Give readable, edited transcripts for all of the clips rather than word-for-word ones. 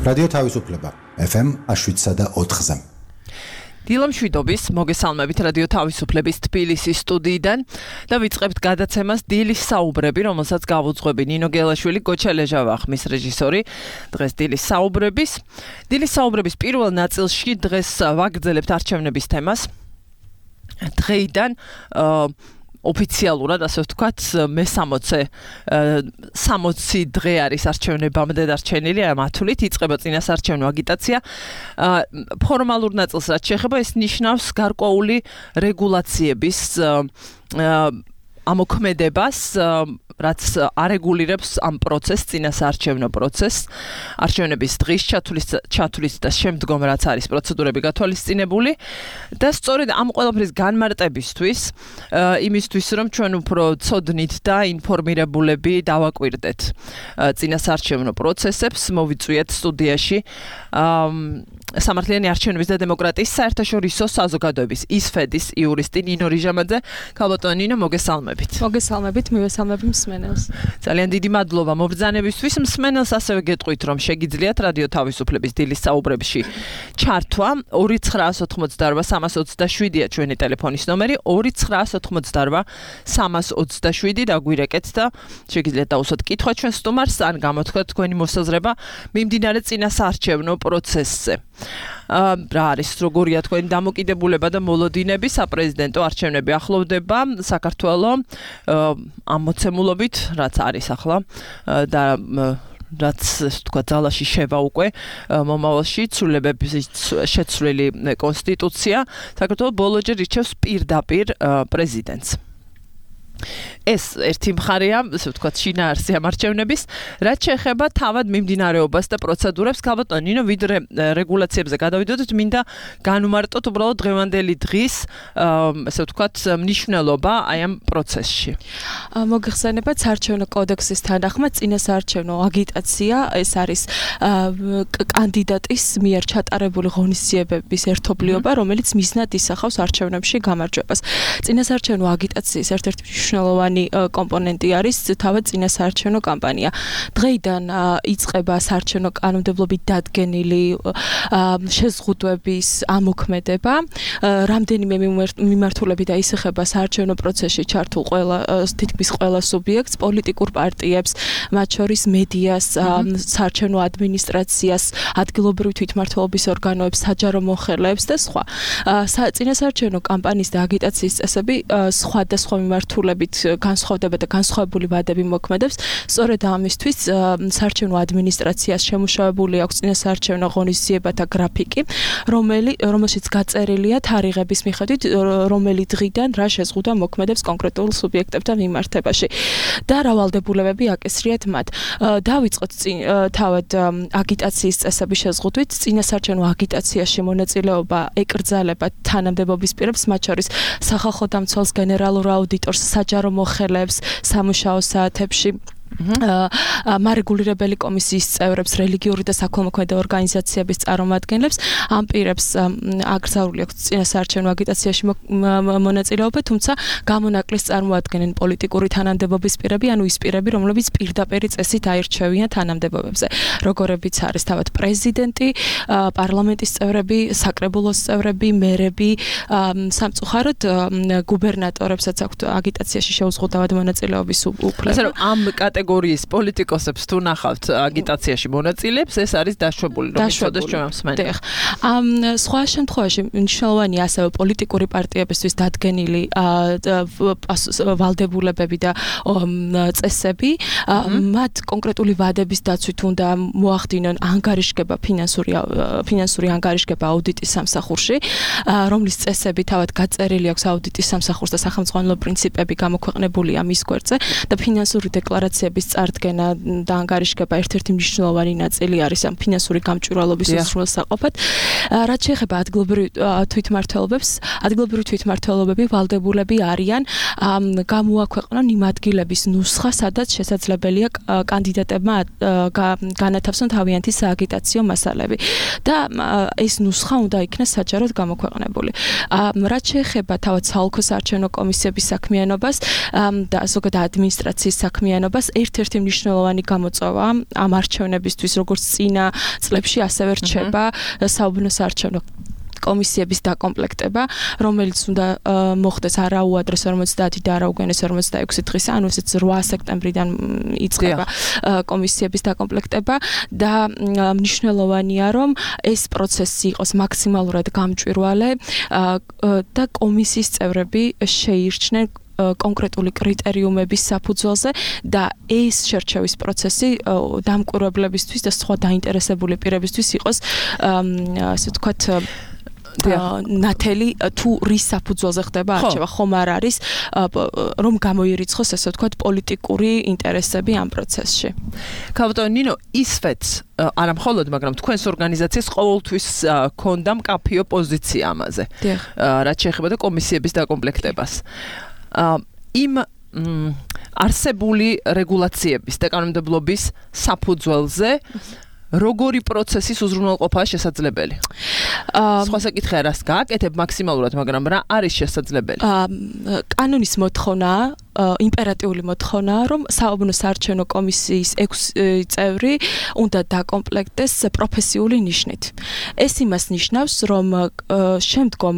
რადიო თავისუფლება FM 7.4-ზე. დილამშვიდობის მოგესალმებით რადიო თავისუფლების თბილისის სტუდიიდან და ვიწყებთ გადაცემას დილის საუბრები, რომელსაც გავუძღვები ნინო გელაშვილი, გოჩა ლეჟავახმის რეჟისორი. დღეს დილის საუბრების პირველ ნაწილში დღეს ვაგრძელებთ არჩევნების თემას. დღეიდან ოფიციალურად, ასე ვთქვათ, მე-60 დღე არის არჩევნებამდე დარჩენილი, მათულით იწყება წინასარჩევნო აგიტაცია. ფორმალურ ნაწილს რაც შეეხება, ეს ნიშნავს გარკვეული რეგულაციების ამოქმედებას, რაც არეგულირებს ამ პროცესს, წინასარჩევნო პროცესს, არჩევნების დღის ჩათვლის და შემდგომ რაც არის პროცედურები გათვალისწინებული და სწორედ ამ ყველაფრის განმარტებისთვის, იმისთვის რომ ჩვენ უფრო ცოდნით და ინფორმირებულები დავაკვირდეთ წინასარჩევნო პროცესებს, მოვიწვიეთ სტუდიაში სამართლიანი არჩევნების და დემოკრატიის საერთაშორისო საზოგადოების ისფედის იურისტი ნინო რიჟამაძე. ქალბატონო ნინო, მოგესალმებით. მოგესალმებით, მივესალმები მსმენელს. ძალიან დიდი მადლობა მობრძანებისთვის. მსმენელს ასევე გეტყვით, რომ შეგიძლიათ რადიო თავისუფლების დილის საუბრებში ჩართვა. 2988327-ია ჩვენი ტელეფონის ნომერი, 2988327 დაგვირეკეთ და შეგიძლიათ დაუსვათ კითხვა ჩვენ სტუმარს, ან გამოთქვათ თქვენი მოსაზრება მიმდინარე წინასარჩევნო პროცესზე. რა არის, როგორია თქვენი დამოკიდებულება და მოლოდინები? საპრეზიდენტო არჩევნები ახლოვდება საქართველოს ამ მოცემულობით, რაც არის ახლა და რაც თქვა ძალაში შევა უკვე მომავალში ცვლილებების შეცვლილი კონსტიტუცია. საქართველოს ბოლოჯერ ირჩევს პირდაპირ პრეზიდენტს. ეს ერთი მხარეა, ასე ვთქვათ, შინაარსი ამ არჩევნების, რაც შეეხება თავად მიმდინარეობას და პროცედურებს. ქალბატონო ნინო, ვიდრე რეგულაციებზე გადავიდოდეთ, მინდა განვმარტოთ უბრალოდ დღევანდელი დღის, ასე ვთქვათ, მნიშვნელობა აი ამ პროცესში. მოგეხსენებათ საარჩევნო კოდექსის თანახმად წინასაარჩევნო აგიტაცია, ეს არის კანდიდატის მიერ ჩატარებული ღონისძიებების ერთობლიობა, რომელიც მიზნად ისახავს არჩევნებში გამარჯვებას. წინასაარჩევნო აგიტაციის ერთ-ერთი მნიშვნელოვანი კომპონენტი არის თავად წინასაარჩევნო კამპანია. დღეიდან იწყება საარჩევნო კანონმდებლობით დადგენილი შეზღუდვების ამოქმედება. რამდენიმე მიმართულებით დაისახება საარჩევნო პროცესში ჩართულ თითქმის ყველა სუბიექტს, პოლიტიკურ პარტიებს, მათ შორის მედიას, საარჩევნო ადმინისტრაციას, ადგილობრივი თვითმმართველობის ორგანოებს, საჯარო მოხელეებს და სხვა. წინასაარჩევნო კამპანიის და აგიტაციის წესები სხვადასხვა მიმართულებით განსხვავდება და განსხვავებული ვადები მოქმედებს. სწორედ ამისთვის საარჩევნო ადმინისტრაციას შემუშავებული აქვს წინასაარჩევნო ღონისძიებათა გრაფიკი, რომელშიც გაწერილია თარიღების მიხედვით, რომელი დღიდან რა შეზღუდვა მოქმედებს კონკრეტულ სუბიექტებთან მიმართებაში და რა ვალდებულებები აკისრიათ მათ. დავიწყოთ თავად აგიტაციის წესების შეზღუდვით. წინასაარჩევნო აგიტაციაში მონაწილეობა ეკრძალება თანამდებობის პირებს, მათ შორის სახალხო დამცველს, გენერალურ აუდიტორს, საჯარო მოხელეებს სამუშაო საათებში, მარეგულირებელი კომისიის წევრებს, რელიგიური და საქველმოქმედო ორგანიზაციების წარმომადგენლებს. ამ პირებს აკრძალული აქვს წინასაარჩევნო აგიტაციაში მონაწილეობა, თუმცა გამონაკლისს წარმოადგენენ პოლიტიკური თანამდებობის პირები, ანუ ის პირები, რომლებიც პირდაპირ წესით აირჩევიან თანამდებობებზე, როგორებიც არის თავად პრეზიდენტი, პარლამენტის წევრები, საკრებულოს წევრები, მერები, სამწუხაროდ გუბერნატორებსაც აქვთ აგიტაციაში შეუზღუდავად მონაწილეობის უფლება. ამ კატეგორიის პოლიტიკოსებს თუ ნახავთ აგიტაციაში მონაწილეებს, ეს არის დაშვებული, რომ იცოდეს ჩვენ მსმენელს. სხვა შემთხვევაში მნიშვნელოვანია ასევე პოლიტიკური პარტიებისთვის დადგენილი ვალდებულებები და წესები. მათ კონკრეტული ვადების დაცვით უნდა მოახდინონ ანგარიშგება, ფინანსური ანგარიშგება აუდიტის სამსახურში, რომლის წესები თავად გაწერილი აქვს აუდიტის სამსახურს და სახელმწიფო პრინციპები გამოქვეყნებულია მის გვერდზე და ფინანსური დეკლარაციების წარდგენა და ანგარიშგება ერთ-ერთი მნიშვნელოვანი ნაწილი არის ამ ფინანსური გამჭვირვალობის უზრუნველსაყოფად. რაც შეეხება ადგილობრივ თვითმმართველობებს, ადგილობრივი თვითმმართველობები ვალდებულები არიან გამოაქვეყნონ იმ ადგილების ნუსხა, სადაც შესაძლებელია კანდიდატებმა განათავსონ თავიანთი სააგიტაციო მასალები და ეს ნუსხა უნდა იქნას საჯაროდ გამოქვეყნებული. რაც შეეხება თავად საოლქო საარჩევნო კომისიების საქმიანობას და ზოგადად ადმინისტრაციის საქმიანობას, ერთ-ერთი მნიშვნელოვანი გამოწვევა ამ არჩევნებისთვის, როგორც წინა წლებში, ასევე რჩება საუბნო საარჩევნო კომისიების დაკომპლექტება, რომელიც უნდა მოხდეს არა უადრეს 50 და არა უგენეს 46 დღის, ანუ ესეც 8 სექტემბრიდან იწყება კომისიების დაკომპლექტება და მნიშვნელოვანია, რომ ეს პროცესი იყოს მაქსიმალურად გამჭვირვალე და კომისიის წევრები შეირჩნენ კონკრეტული კრიტერიუმების საფუძველზე და ეს შერჩევის პროცესი დამკვირვებლებისთვის და სხვა დაინტერესებული პირებისთვის იყოს ასე ვთქვათ ნათელი თუ რის საფუძველზე ხდება არჩევა, ხომ არ არის რომ გამოირიცხოს ასე ვთქვათ პოლიტიკური ინტერესები ამ პროცესში. ქალბატონო ნინო, ისვეც არა მხოლოდ, მაგრამ თქვენს ორგანიზაციას ყოველთვის ქონდა მკაფიო პოზიცია ამაზე. რაც შეეხება და კომისიების დაკომპლექტებას. იმ არსებული რეგულაციების და კანონმდებლობის საფუძველზე როგორი პროცესის უზრუნველყოფაა შესაძლებელი? სხვა საკითხია, რას გააკეთებ მაქსიმალურად, მაგრამ რა არის შესაძლებელი? კანონის მოთხოვნაა, იმპერატიული მოთხოვნაა, რომ საუბნო საარჩევნო კომისიის 6 წევრი უნდა დაკომპლექტდეს პროფესიული ნიშნით. ეს იმას ნიშნავს, რომ შემდგომ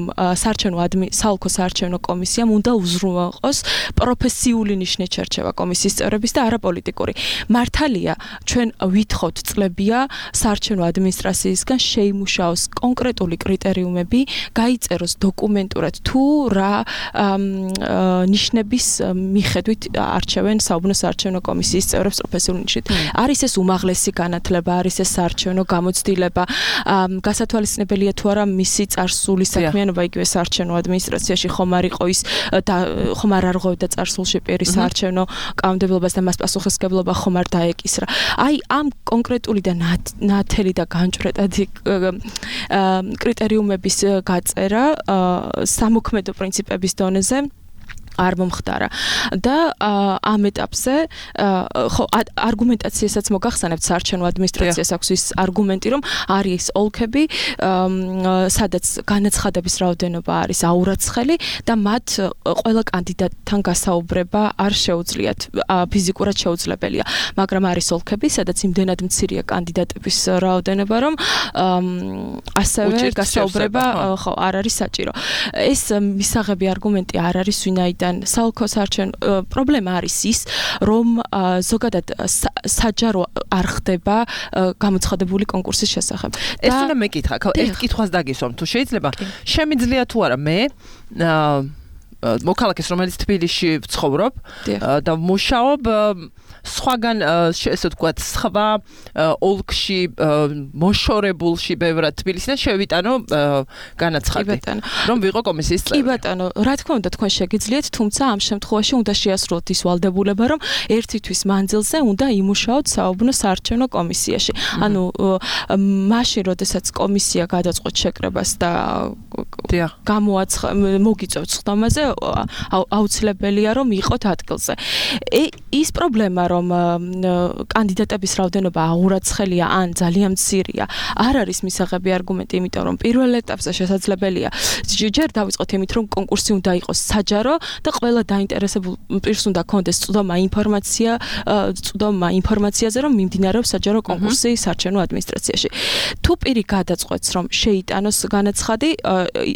საალქო საარჩევნო კომისიამ უნდა უზრუნველყოს პროფესიული ნიშნით შერჩევა კომისიის წევრების და არა პოლიტიკური. მართალია, ჩვენ ვითხოვთ წლებია საარჩევნო ადმინისტრაციისგან შეიმუშაოს კონკრეტული კრიტერიუმები, გაიწეროს დოკუმენტურად თუ რა ნიშნების მიხედვით არჩევენ საუბნო საარჩევნო კომისიის წევრებს პროფესიული ნიშნით. არის ეს უმაღლესი განათლება, არის ეს საარჩევნო გამოცდილება, გასათვალისწინებელია თუ არა მისი წარსული საქმიანობა იგივე საარჩევნო ადმინისტრაციაში ხომ არ არღვევდა წარსულში პირის საარჩევნო კანონმდებლობას და მას პასუხისმგებლობა ხომ არ დაეკისრა. აი ამ კონკრეტული და ნათელი და განჭვრეტადი კრიტერიუმების გაწერა სამოქმედო პრინციპების დონეზე არ მომხდარა და ამ ეტაპზე ხო არგუმენტაციასაც მოგახსენებთ საარჩევნო ადმინისტრაციას აქვს ის არგუმენტი რომ არის ოლქები სადაც განაცხადების რაოდენობა არის აურაცხელი და მათ ყველა კანდიდატთან გასაუბრება არ შეუძლიათ ფიზიკურად შეუძლებელია მაგრამ არის ოლქები სადაც იმდენად მცირეა კანდიდატების რაოდენობა რომ ასევე გასაუბრება ხო არ არის საჭირო ეს მისაღები არგუმენტი არ არის ვინაიდან საალქო საარჩევნო პრობლემა არის ის, რომ ზოგადად საჯარო არ ხდება გამოცხადებული კონკურსის შესახებ. ეს უნდა მეკითხა, ერთ კითხვას დაგისვამ, თუ შეიძლება, შემიძლია თუ არა მე მოქალაქეს, რომელიც თბილისში ვცხოვრობ და ვმუშაობ სხვაგან ესე ვთქვათ, სხვა ოლქში მოშორებულში ბევრად თბილისიდან შევიტანო განაცხადი, რომ ვიყო კომისიის წევრი. კი ბატონო, რა თქმა უნდა თქვენ შეგიძლიათ, თუმცა ამ შემთხვევაში უნდა შეასრულოთ ის ვალდებულება, რომ ერთი თვის მანძილზე უნდა იმუშაოთ საუბნო საარჩევნო კომისიაში. ანუ მაშინ, როდესაც კომისია გადაწყვეტ შეკრებას და მოგიწევთ ხდომაზე, აუცილებელია რომ იყოთ ადგილზე. ის პრობლემა რომ კანდიდატების რაოდენობა აურაცხელია ან ძალიან მცირეა, არ არის მისაღები არგუმენტი, იმიტომ რომ პირველ ეტაპზე შესაძლებელია ჯერ დავიწყოთ იმით, რომ კონკურსი უნდა იყოს საჯარო და ყველა დაინტერესებულ პირს უნდა კონდეს წვდომა ინფორმაციაზე, რომ მიმდინარეობს საჯარო კონკურსი საარჩევნო ადმინისტრაციაში. თუ პირი გადაწყვეტს, რომ შეიტანოს განაცხადი,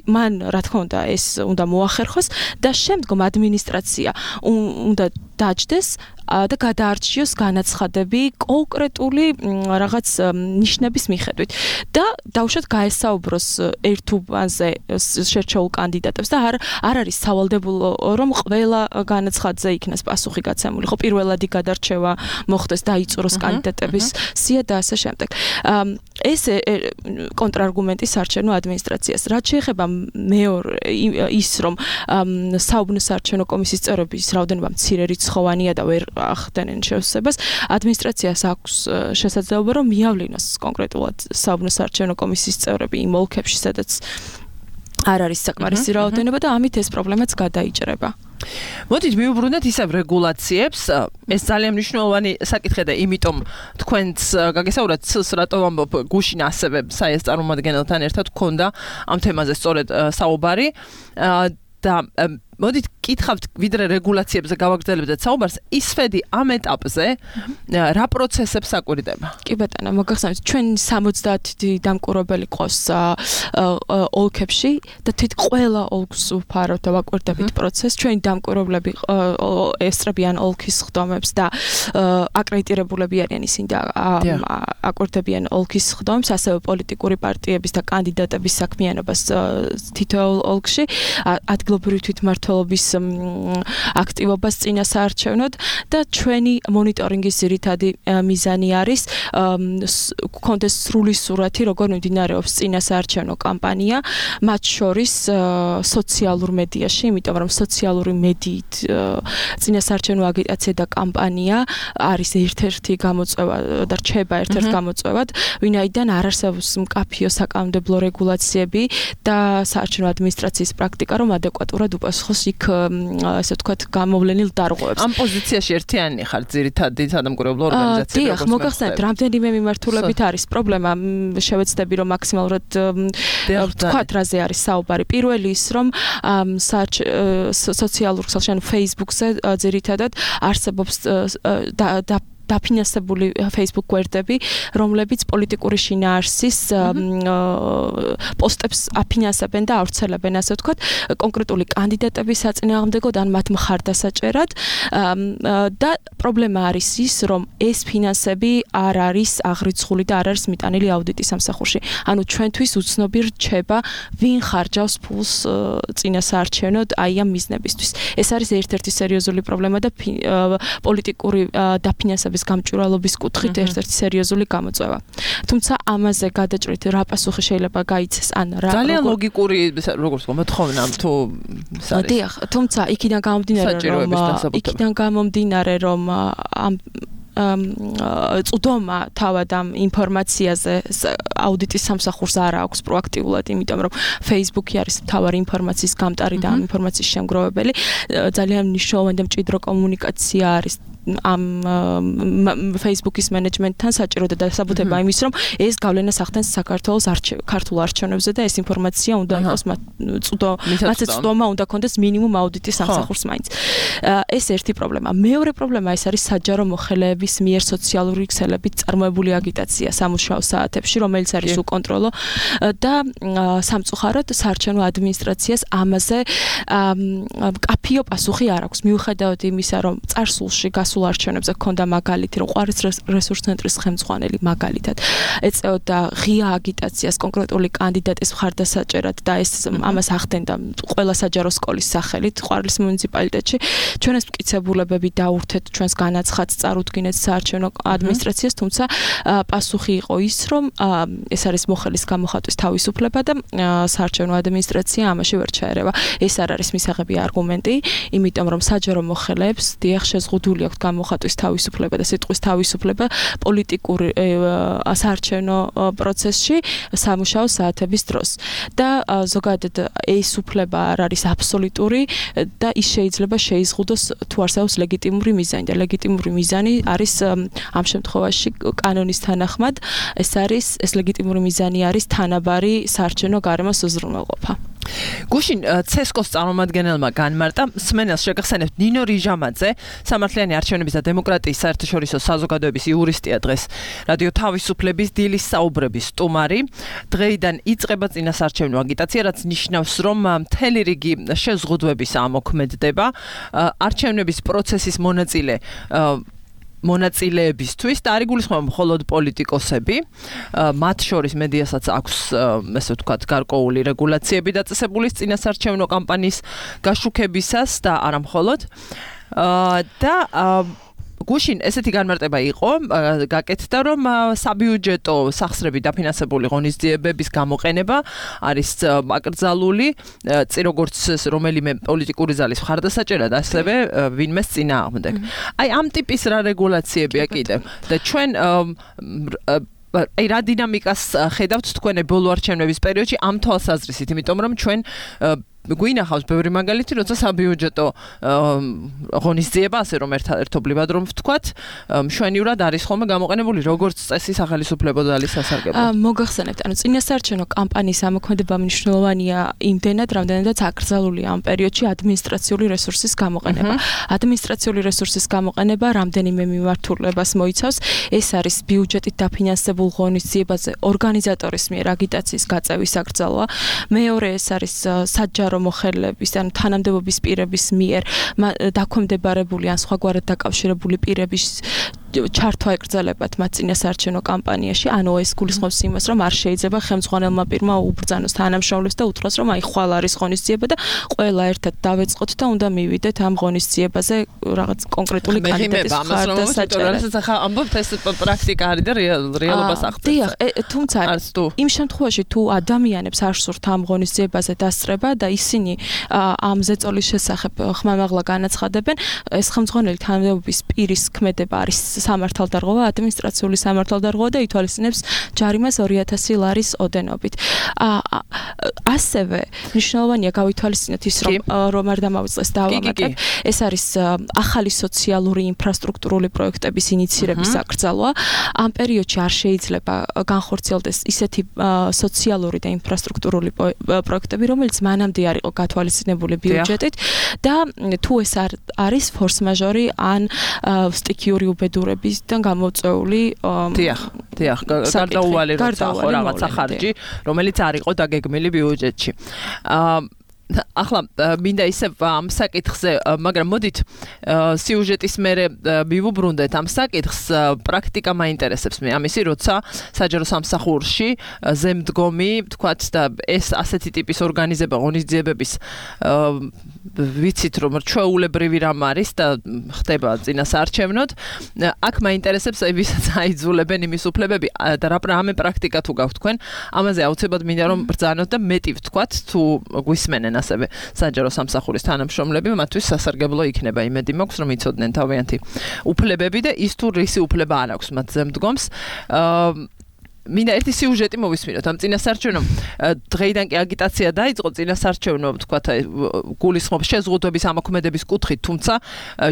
მან რა თქმა უნდა ეს უნდა მოახერხოს და შემდგომ ადმინისტრაცია უნდა დაჯდეს და გადაარჩიოს განაცხადები კონკრეტული რაღაც ნიშნების მიხედვით და დავუშვათ გაესაუბროს ერთუბანზე შერჩეულ კანდიდატებს და არ არის სავალდებულო რომ ყველა განაცხადზე იქნას პასუხი გაცემული. ხო პირველადი გადარჩევა მოხდეს დაიწუროს კანდიდატების სია და ასე შემდეგ. ეს კონტრარგუმენტი საარჩევნო ადმინისტრაციას. რაც შეეხება მეორე ის რომ საუბნო საარჩევნო კომისიის წევრების რაოდენობა მცირე რიცხოვანია და ვერ ახდენენ შევსებას, ადმინისტრაციას აქვს შესაძლებლობა რომ მიავლინოს კონკრეტულად საუბნო საარჩევნო კომისიის წევრები იმ ოლქებში, სადაც არ არის საკმარისი რაოდენობა და ამით ეს პრობლემაც გადაიჭრება. მოდით მივუბრუნდეთ ისევ რეგულაციებს. ეს ძალიან მნიშვნელოვანი საკითხია და იმიტომ თქვენც გაგესაუბრათ ცილს რატო ვამბობ გუშინ ასევე საეს წარმომადგენელთან ერთად გქონდა ამ თემაზე სწორედ საუბარი და მოდით კითხავთ ვიდრე რეგულაციებზე გავაგრძელებთ საუბარს, ის ფედი ამ ეტაპზე რა პროცესებს აკვირდება? კი ბატონო, მოგახსენებთ, ჩვენ 70 დამკვირვებელი ყავს ოლქებში და თვით ყველა ოლქს ვფარავთ და ვაკვირდებით პროცესს. ჩვენი დამკვირვებლები ესწრებიან ოლქის ხდომებს და აკრედიტირებულები არიან ისინი და აკვირდებიან ოლქის ხდომებს, ასევე პოლიტიკური პარტიების და კანდიდატების საქმიანობას თითოეულ ოლქში, ადგილობრივი თვითმმართველობის აქტივობას წინასაარჩევნოდ და ჩვენი მონიტორინგის ძირითადი მიზანი არის გქონდეს სრული სურათი, როგორ მიმდინარეობს წინასაარჩევნო კამპანია, მათ შორის სოციალურ მედიაში, იმიტომ რომ სოციალური მედიით წინასაარჩევნო აგიტაცია და კამპანია არის ერთ-ერთი გამოწვევა და რჩება ერთ-ერთ გამოწვევად, ვინაიდან არ არსებობს მკაფიო საკანონმდებლო რეგულაციები და საარჩევნო ადმინისტრაციის პრაქტიკა, რომ ადეკვატურად უპასუხოს იქ, ასე ვთქვათ, გამოვლენილ დარღვევებს. ამ პოზიციაში ერთიანი ხარ ძირითადი სადამკვირვებლო ორგანიზაციები. დიახ, მოგახსენებთ, რამდენიმე მიმართულებით არის პრობლემა, შევეცდები რომ მაქსიმალურად ვთქვათ, რაზე არის საუბარი. პირველი ის, რომ სოციალურ ქსელში, ანუ Facebook-ზე ძირითადად არსებობს დაფინანსებული Facebook გვერდები, რომლებიც პოლიტიკური შინაარსის პოსტებს აფინანსებენ და ავრცელებენ, ასე ვთქვათ, კონკრეტული კანდიდატების საწინააღმდეგოდ ან მათ მხარდასაჭერად და პრობლემა არის ის, რომ ეს ფინანსები არ არის აღრიცხული და არ არის მიტანილი აუდიტის სამსახურში. ანუ ჩვენთვის უცნობი რჩება, ვინ ხარჯავს ფულს წინასაარჩევნოდ აი ამ მიზნებისთვის. ეს არის ერთ-ერთი სერიოზული პრობლემა და პოლიტიკური დაფინანსების გამჭვირვალობის კუთხით ერთ-ერთი სერიოზული გამოწვევა. თუმცა ამაზე გადაჭრით რა პასუხი შეიძლება გაიცეს ან რა ძალიან ლოგიკური როგორც მოთხოვნა თუ არის. დიახ, თუმცა იქიდან გამომდინარე რომ ამ წვდომა თავად ამ ინფორმაციაზე აუდიტის სამსახურს არ აქვს პროაქტიულად, იმიტომ რომ Facebook-ი არის მთავარი ინფორმაციის გამტარი და ამ ინფორმაციის შემგროვებელი. ძალიან მნიშვნელოვანი და მჭიდრო კომუნიკაცია არის ამ Facebook-ის მენეჯმენტთან საჭირო და დასაბუთება იმის, რომ ეს გავლენას ახდენს საქართველოს ქართულ არჩევნებზე და ეს ინფორმაცია უნდა იყოს მათზე წვდომა უნდა ქონდეს მინიმუმ აუდიტის სამსახურს მაინც. ეს ერთი პრობლემა. მეორე პრობლემა ეს არის საჯარო მოხელეების მიერ სოციალური ქსელებით წარმოებული აგიტაცია სამუშაო საათებში, რომელიც არის უკონტროლო და სამწუხაროდ საარჩევნო ადმინისტრაციას ამაზე მკაფიო პასუხი არ აქვს. მიუხედავად იმისა, რომ წარსულში გასულ არჩევნებზე ჰქონდა მაგალითი, რომ ყვარის რესურს ცენტრის ხელმძღვანელი მაგალითად ეწეოდა ღია აგიტაციას კონკრეტული კანდიდატის მხარდასაჭერად და ეს ამას ახდენდა ყველა საჯარო სკოლის სახელით ყვარლის მუნიციპალიტეტში. ჩვენ ეს მტკიცებულებები დაურთეთ, ჩვენს განაცხადს წარუდგინეთ საარჩევნო ადმინისტრაციას, თუმცა პასუხი იყო ის, რომ ეს არის მოხელის გამოხატვის თავისუფლება და საარჩევნო ადმინისტრაცია ამაში ვერ ჩაერევა. ეს არ არის მისაღები არგუმენტი, იმიტომ რომ საჯარო მოხელეებს დიახ შეზღუდული აქვთ გამოხატვის თავისუფლება და სიტყვის თავისუფლება პოლიტიკური საარჩევნო პროცესში სამუშაო საათების დროს. და ზოგადად ეს უფლება არ არის აბსოლუტური და ის შეიძლება შეიზღუდოს თუ არსებობს ლეგიტიმური მიზანი და ლეგიტიმური მიზანი არის ამ შემთხვევაში კანონის თანახმად ეს ლეგიტიმური მიზანი არის თანაბარი საარჩევნო გარემოს უზრუნველყოფა. გუშინ ცესკოს წარმომადგენელმა განმარტა სმენელს შეგახსენებთ ნინო რიჟამაძე, სამართლიანი არჩევნების და დემოკრატიის საერთაშორისო საზოგადოების იურისტია დღეს რადიო თავისუფლების დილის საუბრების სტუმარი. დღეიდან იწყება წინასაარჩევნო აგიტაცია, რაც ნიშნავს, რომ მთელი რიგი შეზღუდვების ამოქმედდება. არჩევნების პროცესის მონაწილეებისთვის და არ იგულისხმება მხოლოდ პოლიტიკოსები, მათ შორის მედიასაც აქვს, ესე ვთქვათ, გარკვეული რეგულაციები დაწესებული წინასაარჩევნო კამპანიის გაშუქებისას და არა მხოლოდ. და გუშინ ესეთი განმარტება იყო, გაკეთდა, რომ საბიუჯეტო სახსრები დაფინანსებული ღონისძიებების გამოყენება არის აკრძალული, როგორც რომელიმე პოლიტიკური ზალის მხარდასაჭერად, ასევე ვინმეს წინააღმდეგ. აი ამ ტიპის რა რეგულაციებია კიდევ და ჩვენ აი რა დინამიკას ხედავთ თქვენ ბოლო არჩევნების პერიოდში ამ თვალსაზრისით, იმიტომ რომ ჩვენ გვინახავს ბევრი მაგალითი, როცა საბიუჯეტო ღონისძიება, ასე რომ ერთობლივად რომ ვთქვათ, მშვენივრად არის ხოლმე გამოყენებული როგორც წესი სახელმწიფო ძალის სასარგებლოდ. მოგახსენებთ, ანუ წინასაარჩევნო კამპანიის ამოქმედება მნიშვნელოვანია იმდენად, რამდენადაც აკრძალულია ამ პერიოდში ადმინისტრაციული რესურსის გამოყენება. ადმინისტრაციული რესურსის გამოყენება რამდენიმე მიმართულებას მოიცავს. ეს არის ბიუჯეტით დაფინანსებულ ღონისძიებაზე ორგანიზატორის მიერ აგიტაციის გაწევის აკრძალვა. მეორე ეს არის საჯარო მოხელეების ან თანამდებობის პირების მიერ დაქვემდებარებული ან სხვაგვარად დაკავშირებული პირების ჩართვა ეკრძალებათ მათ წინასაარჩევნო კამპანიაში, ანუ ეს გულისხმობს იმას, რომ არ შეიძლება ხელმძღვანელმა პირმა უბრძანოს თანამშრომლებს და უთხროს, რომ აი ხვალ არის ღონისძიება და ყველა ერთად დავეწყოთ და უნდა მივიდეთ ამ ღონისძიებაზე რაღაც კონკრეტული კანდიდატის ხარდასაჭერად. ახლა ამბობთ ეს პრაქტიკა არის და რეალობას აღწევს. დიახ, თუმცა იმ შემთხვევაში თუ ადამიანებს არ სურთ ამ ღონისძიებაზე დასწრება და ისინი ამ ზეწოლის შესახებ ხმამაღლა განაცხადებენ, ეს ხელმძღვანელი თანამდებობის პირის ქმედება არის სამართალდარღვევა, ადმინისტრაციული სამართალდარღვევა და ითვალისწინებს ჯარიმას 2000 ლარის ოდენობით. ასევე მნიშვნელოვანია გავითვალისწინოთ ის, რომ არ დამავიწყდეს დავამატებ. ეს არის ახალი სოციალური ინფრასტრუქტურული პროექტების ინიცირების აკრძალვა. ამ პერიოდში არ შეიძლება განხორციელდეს ისეთი სოციალური და ინფრასტრუქტურული პროექტები, რომელიც მანამდე არ იყო გათვალისწინებული ბიუჯეტით და თუ ეს არის ფორს-მაჟორი ან სტიქიური უბედურებისგან გამოწვეული დიახ, გარდაუვალი როცა ხო რაღაცა ხარჯი, რომელიც არ იყო დაგეგმილი ბიუჯეტში. ახლა მინდა ისე ამ საკითხზე, მაგრამ მოდით სიუჟეტის მერე მივუბრუნდეთ ამ საკითხს, პრაქტიკა მაინტერესებს მე ამისი, როცა საჯარო სამსახურში ზემდგომი, თქვათ და ეს ასეთი ტიპის ორგანიზება ღონისძიებების ვიცით რომ ჩვეულებრივი რამ არის და ხდება წინასაარჩევნოდ, აქ მაინტერესებს ვისაც აიძულებენ იმის უფლებები და რამე პრაქტიკა თუ გაქვთ თქვენ, ამაზე აუცილებლად მინდა რომ ბრძანოთ და მეტი ვთქვათ თუ გვისმენენ ასევე საჯარო სამსახურის თანამშრომლები, მათთვის სასარგებლო იქნება. იმედი მაქვს, რომ იცოდნენ თავიანთი უფლებები და ის თუ რისი უფლება არ აქვს მათ ზემდგომს. მინდა ერთი სიუჟეტი მოვისმინოთ ამ წინასაარჩევნო დღეიდან კი აგიტაცია დაიწყო წინასაარჩევნო თქვათ გულისხმობს შეზღუდვების ამოქმედების კუთხით, თუმცა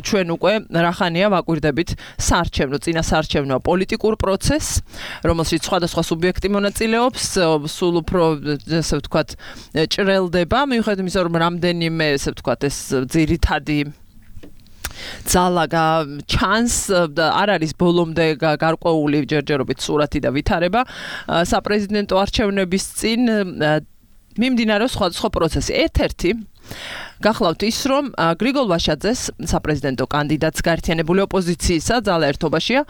ჩვენ უკვე რახანია ვაკვირდებით საარჩევნო წინასაარჩევნო პოლიტიკურ პროცესს, რომელშიც სხვადასხვა სუბიექტი მონაწილეობს, სულ უფრო ესე ვთქვათ ჭრელდება, მიუხედავად იმისა, რომ რამდენიმე ესე ვთქვათ ეს ძირითადი ძალა ჩანს და არ არის ბოლომდე გარკვეული ჯერჯერობით სურათი და ვითარება საპრეზიდენტო არჩევნების წინ მიმდინარეობს სხვადასხვა პროცესი. ერთ-ერთი გახლავთ ის, რომ გრიგოლ ვაშაძეს საპრეზიდენტო კანდიდატს გაერთიანებული ოპოზიციისა ძალა ერთობაშია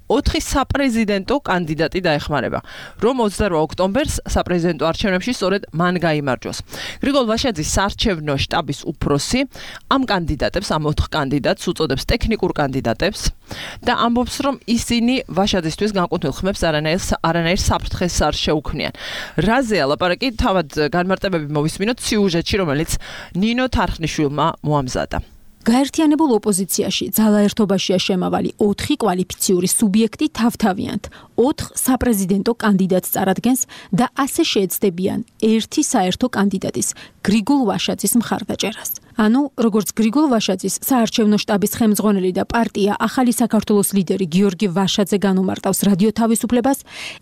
4 საპრეზიდენტო კანდიდატი დაეხმარება, რომ 28 ოქტომბერს საპრეზიდენტო არჩევნებში სწორედ მან გაიმარჯვოს. გრიგოლ ვაშაძის საარჩევნო შტაბის უფროსი ამ კანდიდატებს, ამ 4 კანდიდატს უწოდებს ტექნიკურ კანდიდატებს და ამბობს, რომ ისინი ვაშაძისთვის განკუთვნილ ხმებს არანაირ საფრთხეს არ შეუქმნიან. რაზეა ლაპარაკი, თავად განმარტებები მოვისმინოთ სიუჟეტში, რომელიც ნინო თარხნიშვილმა მოამზადა. გაერთიანებულ ოპოზიციაში ძალაერთობაშია შემავალი 4 კვალიფიციური სუბიექტი თავთავიანთ 4 საპრეზიდენტო კანდიდატს წარადგენს და ასე შეეცდებიან ერთი საერთო კანდიდატის გრიგოლ ვაშაძის მხარდაჭერას. ანუ როგორც გრიგოლ ვაშაძის საარჩევნო შტაბის ხელმძღვანელი და პარტია ახალი საქართველოს ლიდერი გიორგი ვაშაძე განუმარტავს რადიო თავისუფლებას,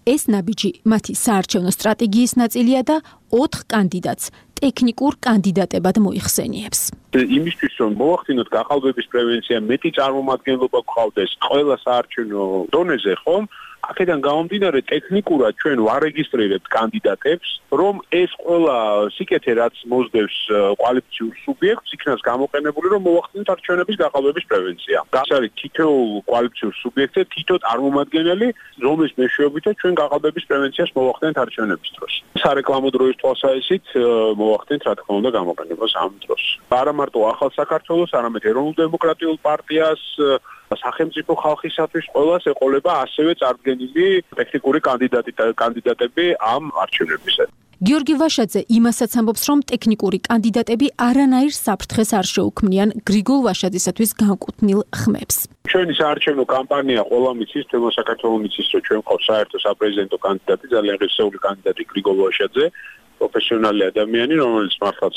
ეს ნაბიჯი მათი საარჩევნო სტრატეგიის ნაწილია და 4 კანდიდატს ტექნიკურ კანდიდატებად მოიხსენიებს. იმისთვის რომ მოახდინოთ გაყალბების პრევენცია, მეტი წარმომადგენლობა გყავდეს ყველა საარჩევნო დონეზე, ხომ? აქედან გამომდინარე ტექნიკურად ჩვენ ვარეგისტრირებთ კანდიდატებს, რომ ეს ყველა სიკეთე რაც მოსდევს კვალიფიციურ სუბიექტს, იქნას გამოყენებული, რომ მოახდინოთ არჩევნების გაყალბების პრევენცია. ეს არის თითოეულ კვალიფიციურ სუბიექტზე თითო წარმომადგენელი, რომლის მეშვეობითაც ჩვენ გაყალბების პრევენციას მოახდენთ არჩევნების დროს. სარეკლამო დროის თვალსაზრისით მოახდენთ რა თქმა უნდა გამოყენებას ამ დროს. არა მარტო ახალ საქართველოს, არამედ ეროვნულ დემოკრატიულ პარტიას სახელმწიფო ხალხისათვის ყველას ეყოლება ასევე წარდგენილი ტექნიკური კანდიდატები ამ არჩევნებისას. გიორგი ვაშაძე იმასაც ამბობს, რომ ტექნიკური კანდიდატები არანაირ საფრთხეს არ შეუქმნიან გრიგოლ ვაშაძისათვის განკუთვნილ ხმებს. ჩვენი საარჩევნო კამპანია ყველა მიცის, თემო საქართველოს მიცის, რომ ჩვენ ყავს საერთო საპრეზიდენტო კანდიდატი, ძალიან ღირსეული კანდიდატი გრიგოლ ვაშაძე. პროფესიონალი ადამიანი, რომელიც მართლაც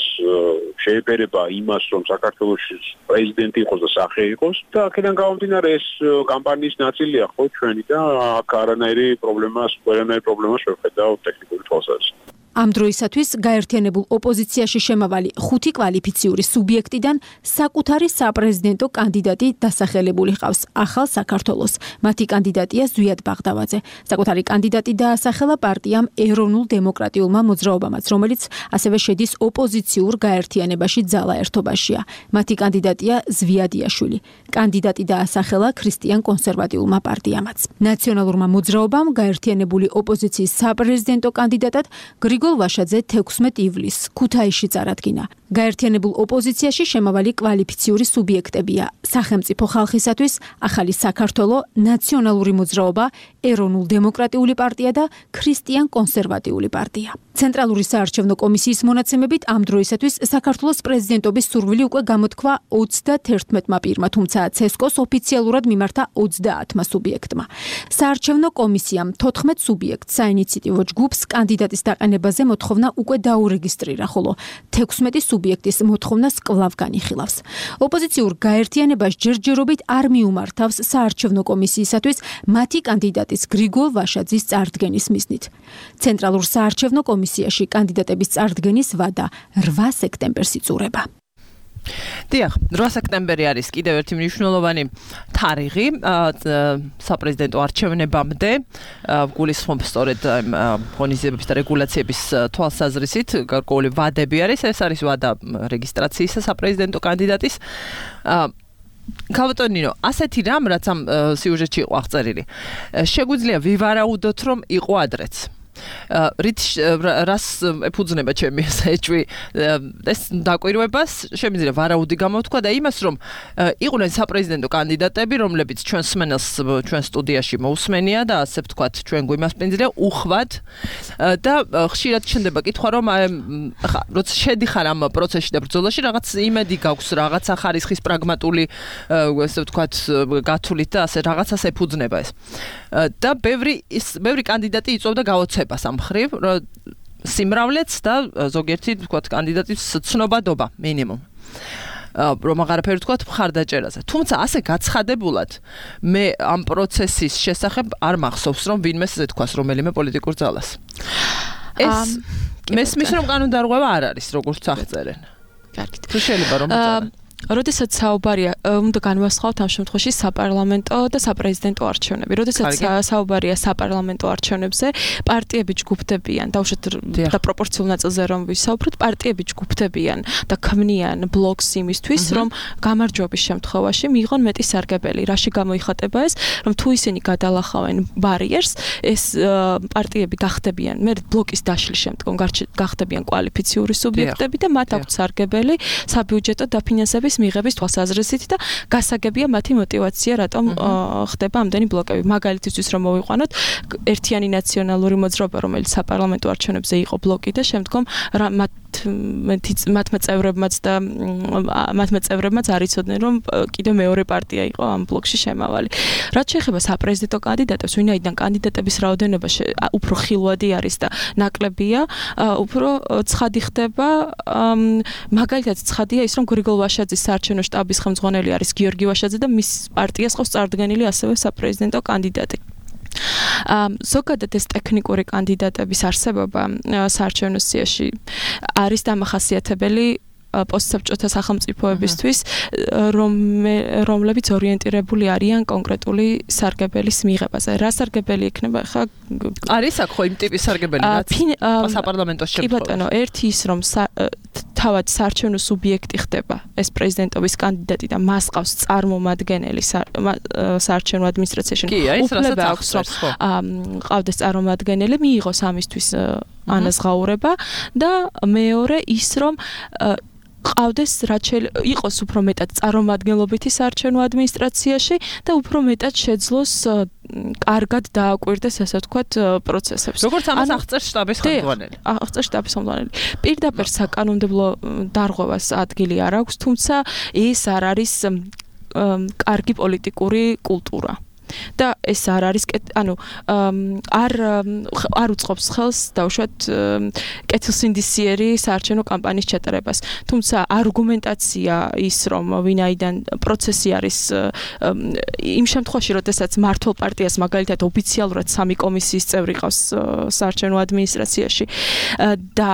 შეეფერება იმას, რომ საქართველოს პრეზიდენტი იყოს და სახე იყოს და აქედან გამომდინარე ეს კამპანიის ნაწილია ხო ჩვენი და აქ არანაირი პრობლემას ვერ ხედავ ტექნიკური თვალსაზრისით. ამ დროისათვის გაერთიანებულ ოპოზიციაში შემავალი 5 კვალიფიციური სუბიექტიდან საკუთარი საპრეზიდენტო კანდიდატი დასახელებული ჰყავს ახალ საქართველოს. მათი კანდიდატია ზვიად ბაღდავაძე. საკუთარი კანდიდატი დაასახელა პარტიამ ეროვნულ დემოკრატიულმა მოძრაობამაც, რომელიც ასევე შედის ოპოზიციურ გაერთიანებაში ძალა ერთობაშია. მათი კანდიდატია ზვიადიაშვილი. კანდიდატი დაასახელა ქრისტიან კონსერვატიულმა პარტიამაც. ნაციონალურმა მოძრაობამ გაერთიანებული ოპოზიციის საპრეზიდენტო კანდიდატად გრიგოლ ვაშაძე 16 ივლისს ქუთაისში წარადგინა. გაერთიანებულ ოპოზიციაში შემავალი კვალიფიციური სუბიექტებია: სახელმწიფო ხალხისათვის, ახალი საქართველო, ნაციონალური მოძრაობა, ეროვნულ დემოკრატიული პარტია და ქრისტიან კონსერვატიული პარტია. ცენტრალური საარჩევნო კომისიის მონაცემებით ამ დროისათვის საქართველოს პრეზიდენტობის სურვილი უკვე გამოთქვა 31-მა პირმა, თუმცა ცესკოს ოფიციალურად მიმართა 30-მა სუბიექტმა. საარჩევნო კომისიამ 14 სუბიექტს საინიციატივო ჯგუფს კანდიდატის დაყენებაზე მოთხოვნა უკვე დაურეგისტრირა, ხოლო 16 სუბიექტის მოთხოვნას კვლავ განიხილავს. ოპოზიციურ გაერთიანებას ჯერჯერობით არ მიუმართავს საარჩევნო კომისიისათვის მათი კანდიდატის გრიგოლ ვაშაძის წარდგენის მიზნით. ცენტრალურ საარჩევნო კომისიაში კანდიდატების წარდგენის ვადა 8 სექტემბერს იწურება. დიახ, 8 სექტემბერი არის კიდევ ერთი მნიშვნელოვანი თარიღი საპრეზიდენტო არჩევნებამდე. გულისხმობს სწორედ ღონისძიებების და რეგულაციების თვალსაზრისით გარკვეული ვადები არის. ეს არის ვადა რეგისტრაციისა საპრეზიდენტო კანდიდატის. ქალბატონო ნინო, ასეთი რამ, რაც ამ სიუჟეტში იყო აღწერილი, შეგვიძლია ვივარაუდოთ, რომ იყო ადრეც. რას ეფუძნება ჩემი ესეჭვი ეს დაკვირვებას შემიძლია ვარაუდი გამოთქვა და იმას რომ იყვნენ საპრეზიდენტო კანდიდატები რომლებიც ჩვენ სმენელს ჩვენ სტუდიაში მოусმენია და ასე ვთქვათ ჩვენ გვიმასპინძლია უხვად და ხშირად ჩნდება კითხვა რომ როცა შედიხარ ამ პროცესში და ბრძოლაში რაღაც იმედი გაქვს რაღაცა ხარისხის პრაგმატული ასე ვთქვათ გათვლით და ასე რაღაცას ეფუძნება ეს და ბევრი კანდიდატი იწვევდა გაოცებას ამ მხრივ სიმრავლეც და ზოგიერთი ვთქვათ კანდიდატის ცნობადობა მინიმუმ რომ აღარაფერი ვთქვათ მხარდაჭერაზე თუმცა ასე გაცხადებულად მე ამ პროცესის შესახებ არ მახსოვს რომ ვინმე ესე თქვას რომელიმე პოლიტიკურ ძალას ეს მესმის რომ კანონდარღვევა არ არის როგორც აღწერენ კარგით თუ შეიძლება რომ როდესაც საუბარია უნდა განვასხვაოთ ამ შემთხვევაში საპარლამენტო და საპრეზიდენტო არჩევნები. როდესაც საუბარია საპარლამენტო არჩევნებზე, პარტიები ჯგუფდებიან, დაუშვათ და პროპორციულ ნაწილზე რომ ვისაუბროთ, პარტიები ჯგუფდებიან და ქმნიან ბლოკს იმისთვის, რომ გამარჯვების შემთხვევაში მიიღონ მეტი სარგებელი. რაში გამოიხატება ეს, რომ თუ ისინი გადალახავენ ბარიერს, ეს პარტიები გახდებიან, მე ბლოკის დაშლის შემდგომ გახდებიან კვალიფიციური სუბიექტები და მათ აქვთ სარგებელი საბიუჯეტო დაფინანსების მიღების თვალსაზრისით და გასაგებია მათი мотиваცია რატომ ხდება ამდენი ბლოკები. მაგალითისთვის რომ მოვიყვანოთ, ერთიანი ნაციონალური მოძრაობა, რომელიც საპარლამენტო არჩევნებზე იყო ბლოკი და შემდგომ მათმა წევრებმაც არ იცოდნენ რომ კიდევ მეორე პარტია იყო ამ ბლოკში შემავალი. რაც შეეხება საპრეზიდენტო კანდიდატებს, ვინაიდან კანდიდატების რაოდენობა უფრო ხილვადი არის და ნაკლებია, უფრო ცხადი ხდება, მაგალითად ცხადია ის რომ გრიგოლ ვაშაძის საარჩევნო შტაბის ხელმძღვანელი არის გიორგი ვაშაძე და მის პარტიას ყავს წარდგენილი ასევე საპრეზიდენტო კანდიდატი. ზოგადად ეს ტექნიკური კანდიდატების არსებობა საარჩევნო სიაში არის დამახასიათებელი პოსტსაბჭოთა სახელმწიფოებისთვის, რომლებიც ორიენტირებული არიან კონკრეტული სარგებელის მიღებაზე. რა სარგებელი იქნება ხა არის აქ ხო იმ ტიპის სარგებელი რაც საპარლამენტო შემთხვევაში. კი ბატონო, ერთი ის რომ თავად საარჩევნო სუბიექტი ხდება ეს პრეზიდენტობის კანდიდატი და მას ყავს წარმომადგენელი საარჩევნო ადმინისტრაციაში. უფლება აქვს რომ ყავდეს წარმომადგენელი, მიიღოს ამისთვის ანაზღაურება და მეორე ის რომ ყავდეს იყოს უფრო მეტად წარმომადგენლობითი საარჩევნო ადმინისტრაციაში და უფრო მეტად შეძლოს კარგად დააკვირდეს ასე ვთქვათ პროცესებს. როგორც ამას აღწერს შტაბის ხელმძღვანელი. აღწერს შტაბის ხელმძღვანელი. პირდაპირ საკანონმდებლო დარღვევას ადგილი არ აქვს, თუმცა ეს არ არის კარგი პოლიტიკური კულტურა. და ეს არ არის არ უწყობს ხელს დავუშვათ კეთილსინდისიერი საარჩევნო კამპანიის ჩატარებას. თუმცა არგუმენტაცია ის რომ ვინაიდან პროცესი არის იმ შემთხვევაში, როდესაც მართლ პარტიას მაგალითად ოფიციალურად 3 კომისიის წევრი ყავს საარჩევნო ადმინისტრაციაში და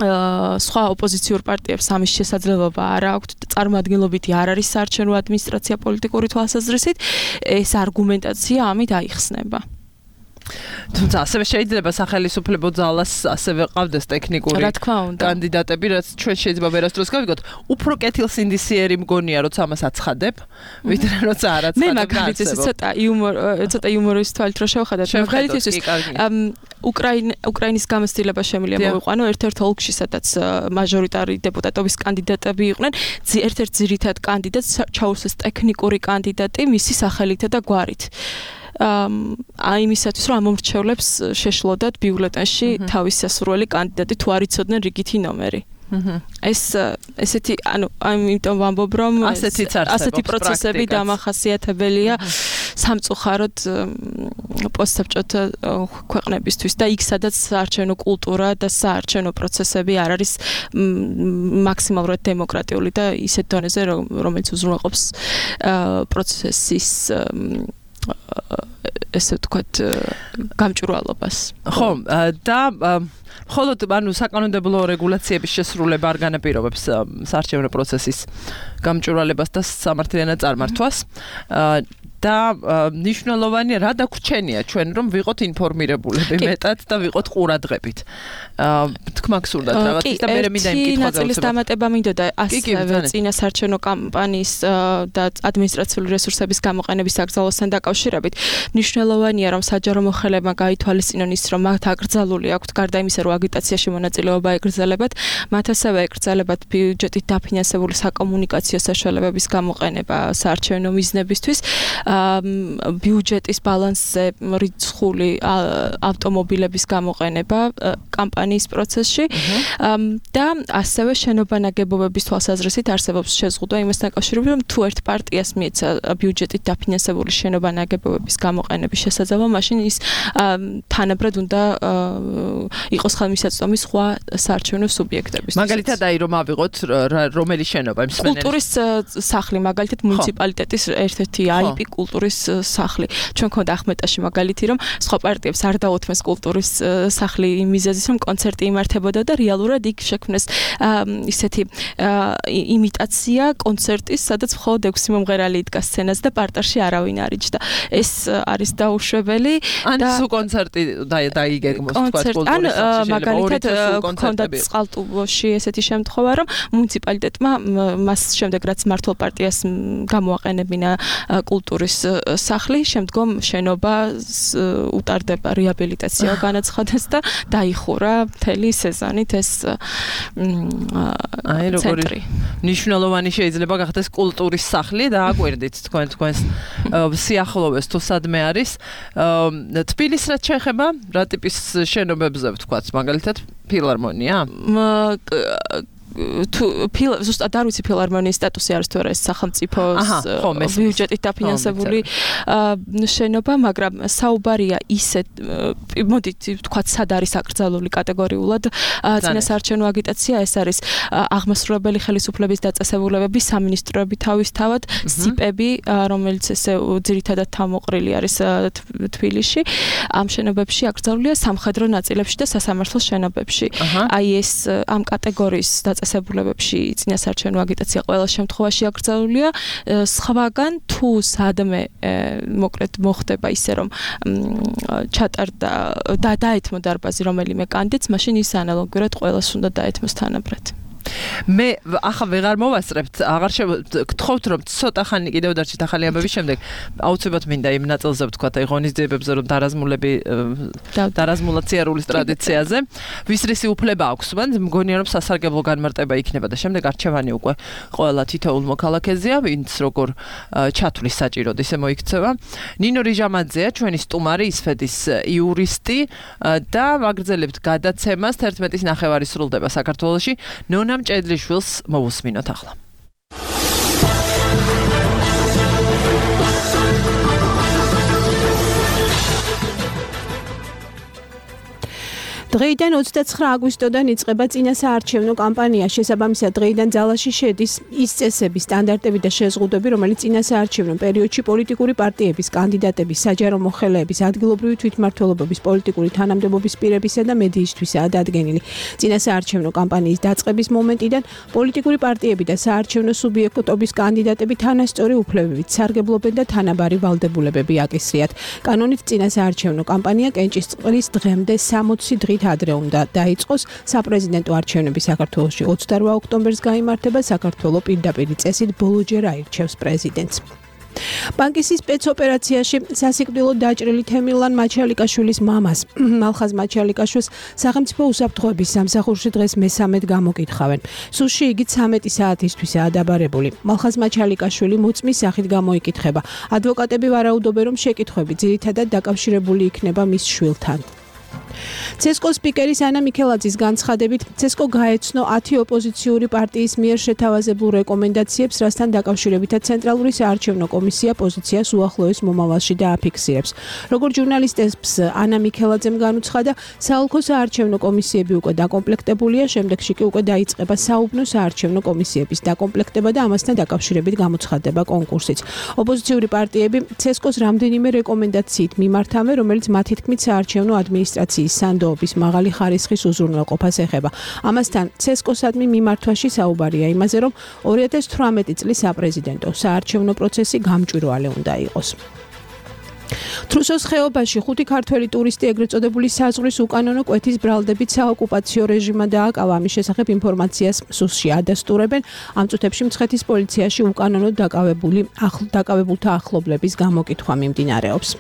სხვა ოპოზიციურ პარტიებს ამის შესაძლებლობა არ აქვთ და წარმოადგენლობითი არ არის საარჩევნო ადმინისტრაცია პოლიტიკური თვალსაზრისით, ეს არგუმენტაცია ამით აიხსნება. თუმცა ასევე შეიძლება სახელმწიფო ძალას ასევე ყავდეს ტექნიკური კანდიდატები, რაც ჩვენ შეიძლება ვერასდროს გავიგოთ. უფრო კეთილსინდისიერი მგონია, როცა ამას აცხადებ, ვიდრე როცა არ აცხადებ. მე მაგალითად ცოტა იუმორის თვალით რო შევხედოთ, მაგალითად უკრაინის გამოცდილება შემიძლია მოვიყვანო ერთ-ერთ ოლქში, სადაც მაჟორიტარი დეპუტატობის კანდიდატები იყვნენ, ერთ-ერთ ძირითად კანდიდატს ჩაუსეს ტექნიკური კანდიდატი მისი სახელითა და გვარით. იმისათვის რომ ამომრჩევლებს შეშლოდათ ბიულეტენში თავის სასურველი კანდიდატი თუ არ იცოდნენ რიგითი ნომერი. ესეთი ამიტომ ვამბობ რომ ასეთი პროცესები დამახასიათებელია სამწუხაროდ პოსტსაბჭოთა ქვეყნებისთვის და იქ სადაც საარჩევნო კულტურა და საარჩევნო პროცესები არ არის მაქსიმალურად დემოკრატიული და ისეთ დონეზე რომელიც უზრუნველყოფს პროცესის ესე ვთქვათ გამჭვირვალობას. ხო, და მხოლოდ საკანონმდებლო რეგულაციების შესრულება არ განაპირობებს საარჩევნო პროცესის გამჭვირვალებას და სამართლიანად წარმართვას. და ნიშნულოვანია რა დაგვრჩენია ჩვენ რომ ვიყოთ ინფორმირებულები მეტად და ვიყოთ ყურადღებით. თქმა გსურდათ რაღაცის და მე მინდა იმ კითხვა ნაწილის დამატება მინდოდა ასევე წინა საარჩევნო კამპანიის და ადმინისტრაციული რესურსების გამოყენების აკრძალვასთან დაკავშირებით. ნიშნულოვანია რომ საჯარო მოხელებმა გაითვალისწინონ ის რომ მათ აკრძალული აქვთ გარდა იმისა რომ აგიტაციაში მონაწილეობა ეკრძალებათ, მათ ასევე ეკრძალებათ ბიუჯეტით დაფინანსებული საკომუნიკაციო საშუალებების გამოყენება საარჩევნო მიზნებისთვის. ბიუჯეტის ბალანსზე რიცხული ავტომობილების გამოყენება კამპანიის პროცესში და ასევე შენობა-ნაგებობების თვალსაზრისით არსებობს შეზღუდვა იმასთან დაკავშირებით, რომ თუ ერთ პარტიას მიეცა ბიუჯეტით დაფინანსებული შენობა-ნაგებობების გამოყენების შესაძლებლობა, მაშინ ის თანაბრად უნდა იყოს ხელმისაწვდომი სხვა საარჩევნო სუბიექტებისთვის. მაგალითად რომ ავიღოთ რომელი შენობა მსმენელი კულტურის სახლი, მაგალითად მუნიციპალიტეტის ერთ-ერთი IP კულტურის სახლი. ჩვენ ქონდა ახმეტაში მაგალითი რომ სხვა პარტიებს არ დაუთმეს კულტურის სახლი იმ მიზეზით რომ კონცერტი იმართებოდა და რეალურად იქ შექმნეს ისეთი იმიტაცია კონცერტის, სადაც მხოლოდ 6 მომღერალი იდგა სცენაზე და პარტარში არავინ არ იჯდა. ეს არის დაუშვებელი და სულ კონცერტი დაიგეგმოს თქვა კულტურის სახლში. მაგალითად ქონდა წყალტუბოში ესეთი შემთხვევა რომ მუნიციპალიტეტმა მას შემდეგ რაც მართლ პარტიას გამოაყენებინა კულტურის სახლი, შემდგომ შენობას უტარდება რეაბილიტაცია განაცხადეს და დაიხურა მთელი სეზონით ეს ცენტრი. ნიშნულოვანი შეიძლება გახდეს კულტურის სახლი და აკვირდით თქვენს სიახლოვეს თუ სადმე არის. თბილისს რაც შეეხება, რა ტიპის შენობებზე ვთქვათ, მაგალითად ფილარმონია? ზუსტად არ ვიცი ფილარმონიის სტატუსი არის თუ არა ეს სახელმწიფოს ბიუჯეტით დაფინანსებული შენობა, მაგრამ საუბარია ისეთ მოდით ვთქვათ სად არის აკრძალული კატეგორიულად წინა საარჩევნო აგიტაცია, ეს არის აღმასრულებელი ხელისუფლების დაწესებულებები, სამინისტროები თავისთავად, სიპები, რომელიც ესე ძირითადად თავმოყრილი არის თბილისში, ამ შენობებში აკრძალულია სამხედრო ნაწილებში და სასამართლო შენობებში. აი ეს ამ კატეგორიის წესებულებებში წინა საარჩევნო აგიტაცია ყველა შემთხვევაში აკრძალულია. სხვაგან თუ სადმე მოკლედ მოხდება ისე რომ ჩატარდა და დაეთმო დარბაზი რომელიმე კანდიდატს, მაშინ ის ანალოგიურად ყველას უნდა დაეთმოს თანაბრად. მე ახლა ვეღარ მოვასწრებთ, აღარ გთხოვთ რომ ცოტა ხანი კიდევ დარჩით ახალი ამბების შემდეგ. აუცილებლად მინდა იმ ნაწილზე ვთქვათ, აი ღონისძიებებზე რომ დარაზმულაცია ტრადიციაზე ვის რისი უფლება აქვს, მგონია რომ სასარგებლო განმარტება იქნება და შემდეგ არჩევანი უკვე ყველა თითოეულ მოქალაქეზეა, ვინც როგორ ჩათვლის საჭიროდ ისე მოიქცევა. ნინო რიჟამაძეა ჩვენი სტუმარი, ისფეთის იურისტი და ვაგრძელებთ გადაცემას 11:09 სრულდება საქართველოში. ნონამ ჭედლიშვილს მოვუსმინოთ ახლა. დღეიდან 29 აგვისტოდან იწყება წინასაარჩევნო კამპანია. შესაბამისად, დღეიდან ძალაში შედის ის წესები, სტანდარტები და შეზღუდვები, რომელიც წინასაარჩევნო პერიოდში პოლიტიკური პარტიების, კანდიდატების, საჯარო მოხელეების, ადგილობრივი თვითმმართველობების, პოლიტიკური თანამდებობის პირებისა და მედიისთვისაა დადგენილი. წინასაარჩევნო კამპანიის დაწყების მომენტიდან პოლიტიკური პარტიები და საარჩევნო სუბიექტობის კანდიდატები თანასწორი უფლებებით სარგებლობენ და თანაბარი ვალდებულებები აკისრიათ. კანონით წინასაარჩევნო კამპანია კენჭისყრის დღემდე 60 დღით ადრე უნდა დაიწყოს. საპრეზიდენტო არჩევნები საქართველოში 28 ოქტომბერს გაიმართება. საქართველოს პირდაპირი წესით ბოლოჯერ აირჩევს პრეზიდენტს. ბანკისის სპეცოპერაციაში სასიკვდილოდ დაჭრილი თემილან მაჩალიკაშვილის მამას, მალხაზ მაჩალიკაშვილს სახელმწიფო უსაფრთხოების სამსახურში დღეს მე-13 გამოკითხავენ. სუსში იგი 13 საათისთვისაა დაბარებული. მალხაზ მაჩალიკაშვილი მოწმის სახით გამოიკითხება. ადვოკატები ვარაუდობენ, რომ შეკითხვები ძირითადად დაკავშირებული იქნება მის შვილთან. ცესკოს სპიკერის ანა მიქელაძის განცხადებით, ცესკო გაეცნო 10 ოპოზიციური პარტიის მიერ შეთავაზებულ რეკომენდაციებს, რასთან დაკავშირებითაც ცენტრალური საარჩევნო კომისია პოზიციას უახლოეს მომავალში დააფიქსირებს. როგორც ჟურნალისტებს ანა მიქელაძემ განუცხადა, საოლქო საარჩევნო კომისიები უკვე დაკომპლექტებულია, შემდეგში კი უკვე დაიწყება საუბნო საარჩევნო კომისიების დაკომპლექტება და ამასთან დაკავშირებით გამოცხადდება კონკურსიც. ოპოზიციური პარტიები ცესკოს რამდენიმე რეკომენდაციით მიმართავენ, რომელიც მათი თქმით საარჩევნო ადმინისტრაციის სანდოობის მაღალი ხარისხის უზრუნველყოფას ეხება. ამასთან ცესკოსადმი მიმართვაში საუბარია იმაზე, რომ 2018 წლის საპრეზიდენტო საარჩევნო პროცესი გამჭვირვალე უნდა იყოს. თრუსოს ხეობაში 5 ქართველი ტურისტი ეგრეთ წოდებული საზღვრის უკანონო კვეთის ბრალდებით საოკუპაციო რეჟიმმა დააკავა. ამის შესახებ ინფორმაციას სუსში ადასტურებენ. ამ წუთებში მცხეთის პოლიციაში უკანონოდ დაკავებულთა ახლობლების გამოკითხვა მიმდინარეობს.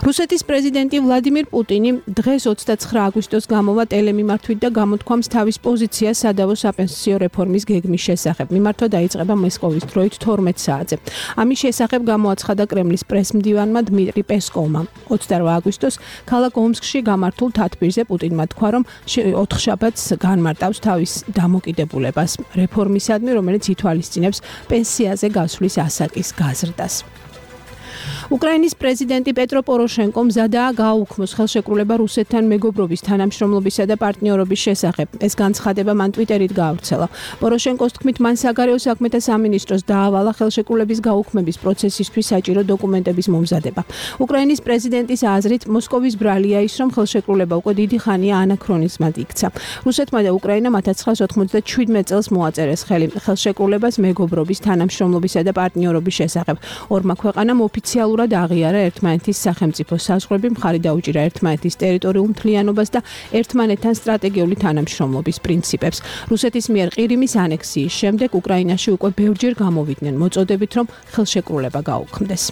რუსეთის პრეზიდენტი ვლადიმირ პუტინი დღეს 29 აგვისტოს გამოვა ტელემიმართვით და გამოთქვამს თავის პოზიციას სადავო საპენსიო რეფორმის გეგმის შესახებ. მიმართვა დაიწყება მოსკოვის დროით 12 საათზე. ამის შესახებ გამოაცხადა კრემლის პრესმდივანმა დმიტრი პესკოვმა. 28 აგვისტოს ქალაქ ომსკში გამართულ თათბირზე პუტინმა თქვა, რომ 4 შაბათს განმარტავს თავის დამოკიდებულებას რეფორმისადმი, რომელიც ითვალისწინებს პენსიაზე გასვლის ასაკის გაზრდას. უკრაინის პრეზიდენტი პეტრო პოროშენკომ მზადაა გააუქმოს ხელშეკრულება რუსეთთან მეგობრობის, თანამშრომლობისა და პარტნიორობის შესახებ. ეს განცხადება მან ტვიტერით გაავრცელა. პოროშენკოს თქმით, მან საგარეო საქმეთა სამინისტროს დაავალა ხელშეკრულების გაუქმების პროცესისთვის საჭირო დოკუმენტების მომზადება. უკრაინის პრეზიდენტის აზრით, მოსკოვის ბრალია ის, რომ ხელშეკრულება უკვე დიდი ხანია ანაქრონიზმად იქცა. რუსეთმა და უკრაინამ 1997 წელს მოაწერეს ხელი ხელშეკრულებას მეგობრობის, თანამშრომლობისა და პარტნიორობის შესახებ. ორმა ქვეყანამ ოფიციალურად აღიარა ერთმანეთის სახელმწიფო საზღვრები, მხარი დაუჭირა ერთმანეთის ტერიტორიულ მთლიანობას და ერთმანეთთან სტრატეგიული თანამშრომლობის პრინციპებს. რუსეთის მიერ ყირიმის ანექსიის შემდეგ უკრაინაში უკვე ბევრჯერ გამოვიდნენ მოწოდებით, რომ ხელშეკრულება გაუქმდეს.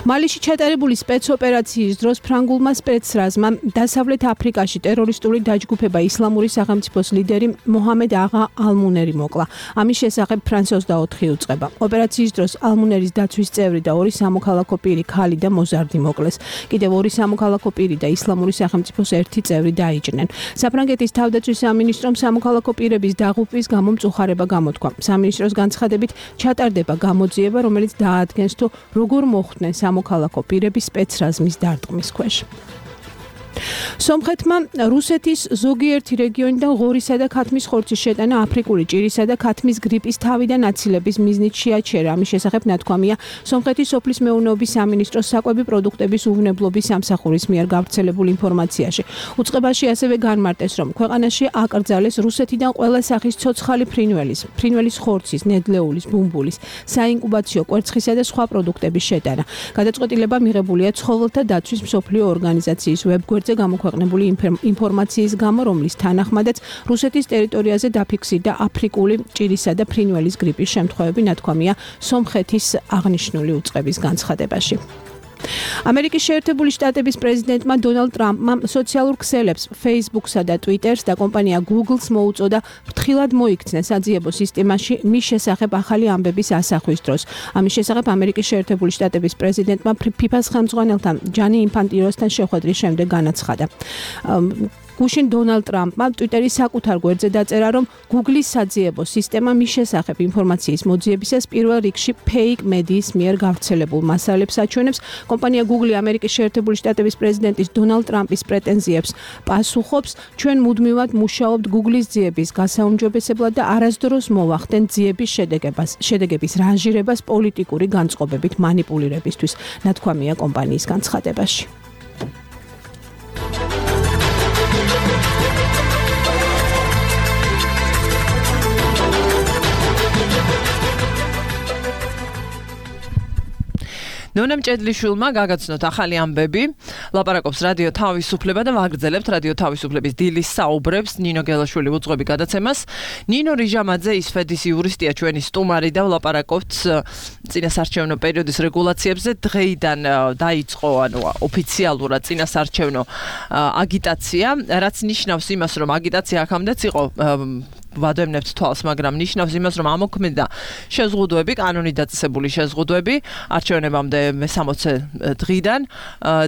მალიში ჩატარებული სპეცოპერაციის დროს ფრანგულმა სპეცრაზმა დასავლეთ აფრიკაში ტერორისტული დაჯგუფება ისლამური სახელმწიფოს ლიდერი მოჰამედ აღა ალმუნერი მოკლა. ამის შესახებ ფრანს 24 უწყება. ოპერაციის დროს ალმუნერის დაცვის წევრი და 2 სამოქალაქო პირი ქალი და მოზარდი მოკლეს. კიდევ 2 სამოქალაქო პირი და ისლამური სახელმწიფოს 1 წევრი დაიჭრნენ. საფრანგეთის თავდაცვის სამინისტრომ სამოქალაქო პირების დაღუპვის გამო მწუხარება გამოთქვა. სამინისტროს განცხადებით ჩატარდება გამოძიება, რომელიც დაადგენს თუ როგორ მოხდა სამოქალაქო პირების სპეცრაზმის დარტყმის ქვეშ. სომხეთმა რუსეთის ზოგიერთი რეგიონიდან ღორისა და ქათმის ხორცის შეტანა აფრიკული ჭირისა და ქათმის გრიპის თავიდან აცილების მიზნით შეაჩერა. ამის შესახებ ნათქვამია სომხეთის სოფლის მეურნეობის სამინისტროს საკვები პროდუქტების უვნებლობის სამსახურის მიერ გავრცელებულ ინფორმაციაში. უწყებაში ასევე განმარტეს, რომ ქვეყანაში აკრძალეს რუსეთიდან ყველა სახის ცოცხალი ფრინველის ხორცის, ნედლეულის, ბუმბულის, საინკუბაციო კვერცხისა და სხვა პროდუქტების შეტანა. გადაწყვეტილება მიღებულია ცხოველთა დაცვის მსოფლიო ორგანიზაციის ვებგვერდზე გამოქვეყნებული ინფორმაციის გამო, რომლის თანახმადაც რუსეთის ტერიტორიაზე დაფიქსირდა აფრიკული ჭირისა და ფრინველის გრიპის შემთხვევები, ნათქვამია სომხეთის აღნიშნული უწყების განცხადებაში. ამერიკის შეერთებული შტატების პრეზიდენტმა დონალდ ტრამპმა სოციალურ ქსელებს Facebook-სა და Twitter-ს და კომპანია Google-ს მოუწოდა ფრთხილად მოიქცნენ საძიებო სისტემაში მის შესახებ ახალი ამბების ასახვის დროს. ამის შესახებ ამერიკის შეერთებული შტატების პრეზიდენტმა FIFA-ს ხელმძღვანელთან ჯანი ინფანტინოსთან შეხვედრის შემდეგ განაცხადა. გუშინ დონალდ ტრამპმა ტვიტერის საკუთარ გვერდზე დაწერა, რომ Google-ის საძიებო სისტემა მის შესახებ ინფორმაციის მოძიებისას პირველ რიგში ფეიქ მედიის მიერ გავრცელებულ მასალებს აჩვენებს. კომპანია Google ამერიკის შეერთებული შტატების პრეზიდენტის დონალდ ტრამპის პრეტენზიებს პასუხობს. ჩვენ მუდმივად მუშაობთ Google-ის ძიების გასაუმჯობესებლად და არასდროს მოვახდენთ ძიების შედეგების რანჟირებას პოლიტიკური განწყობებით მანიპულირებისთვის, ნათქვამია კომპანიის განცხადებაში. ნონა მჭედლიშვილმა გაგაცნოთ ახალი ამბები, ლაპარაკობს რადიო თავისუფლება და ვაგრძელებთ რადიო თავისუფლების დილის საუბრებს ნინო გელაშვილი უძღვები გადაცემას. ნინო რიჟამაძე ისფედის იურისტია ჩვენი სტუმარი და ვლაპარაკობთ წინასარჩევნო პერიოდის რეგულაციებზე. დღეიდან დაიწყო ოფიციალურად წინასარჩევნო აგიტაცია, რაც ნიშნავს იმას, რომ აგიტაცია აქამდეც იყო ვადევნებთ თვალს, მაგრამ ნიშნავს იმას, რომ ამოქმედა შეზღუდვები, კანონით დაწესებული შეზღუდვები არჩევნებამდე მე-60 დღიდან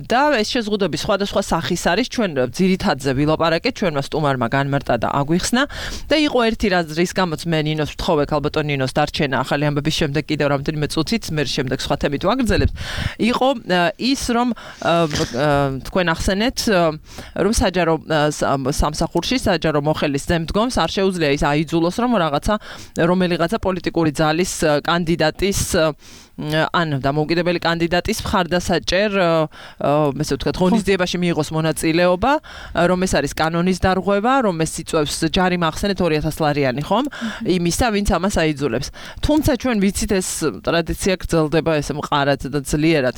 და ეს შეზღუდვები სხვადასხვა სახის არის. ჩვენ ძირითადზე ვილაპარაკეთ, ჩვენმა სტუმარმა განმარტა და აგვიხსნა და იყო ერთი რის გამოც მე ნინოს ვთხოვე, ალბათ ნინოს დარჩენა ახალი ამბების შემდეგ კიდევ რამდენიმე წუთით, მე შემდეგ სხვა თემით ვაგრძელებთ. იყო ის, რომ თქვენ ახსენეთ, რომ საჯარო სამსახურში საჯარო მოხელის ზემდგომს არ შეუძლია ის აიძულოს, რომ რომელიღაცა პოლიტიკური ძალის კანდიდატის ან დამოუკიდებელი კანდიდატის მხარდასაჭერ, ესე ვთქვათ, ღონისძიებაში მიიღოს მონაწილეობა, რომ ეს არის კანონის დარღვევა, რომ ეს იწვევს ჯარიმა ახსენეთ 2000 ლარიანი, ხომ? იმისა, ვინც ამას აიძულებს. თუმცა ჩვენ ვიცით, ეს ტრადიცია გრძელდება ესე მყარად და ძლიერად.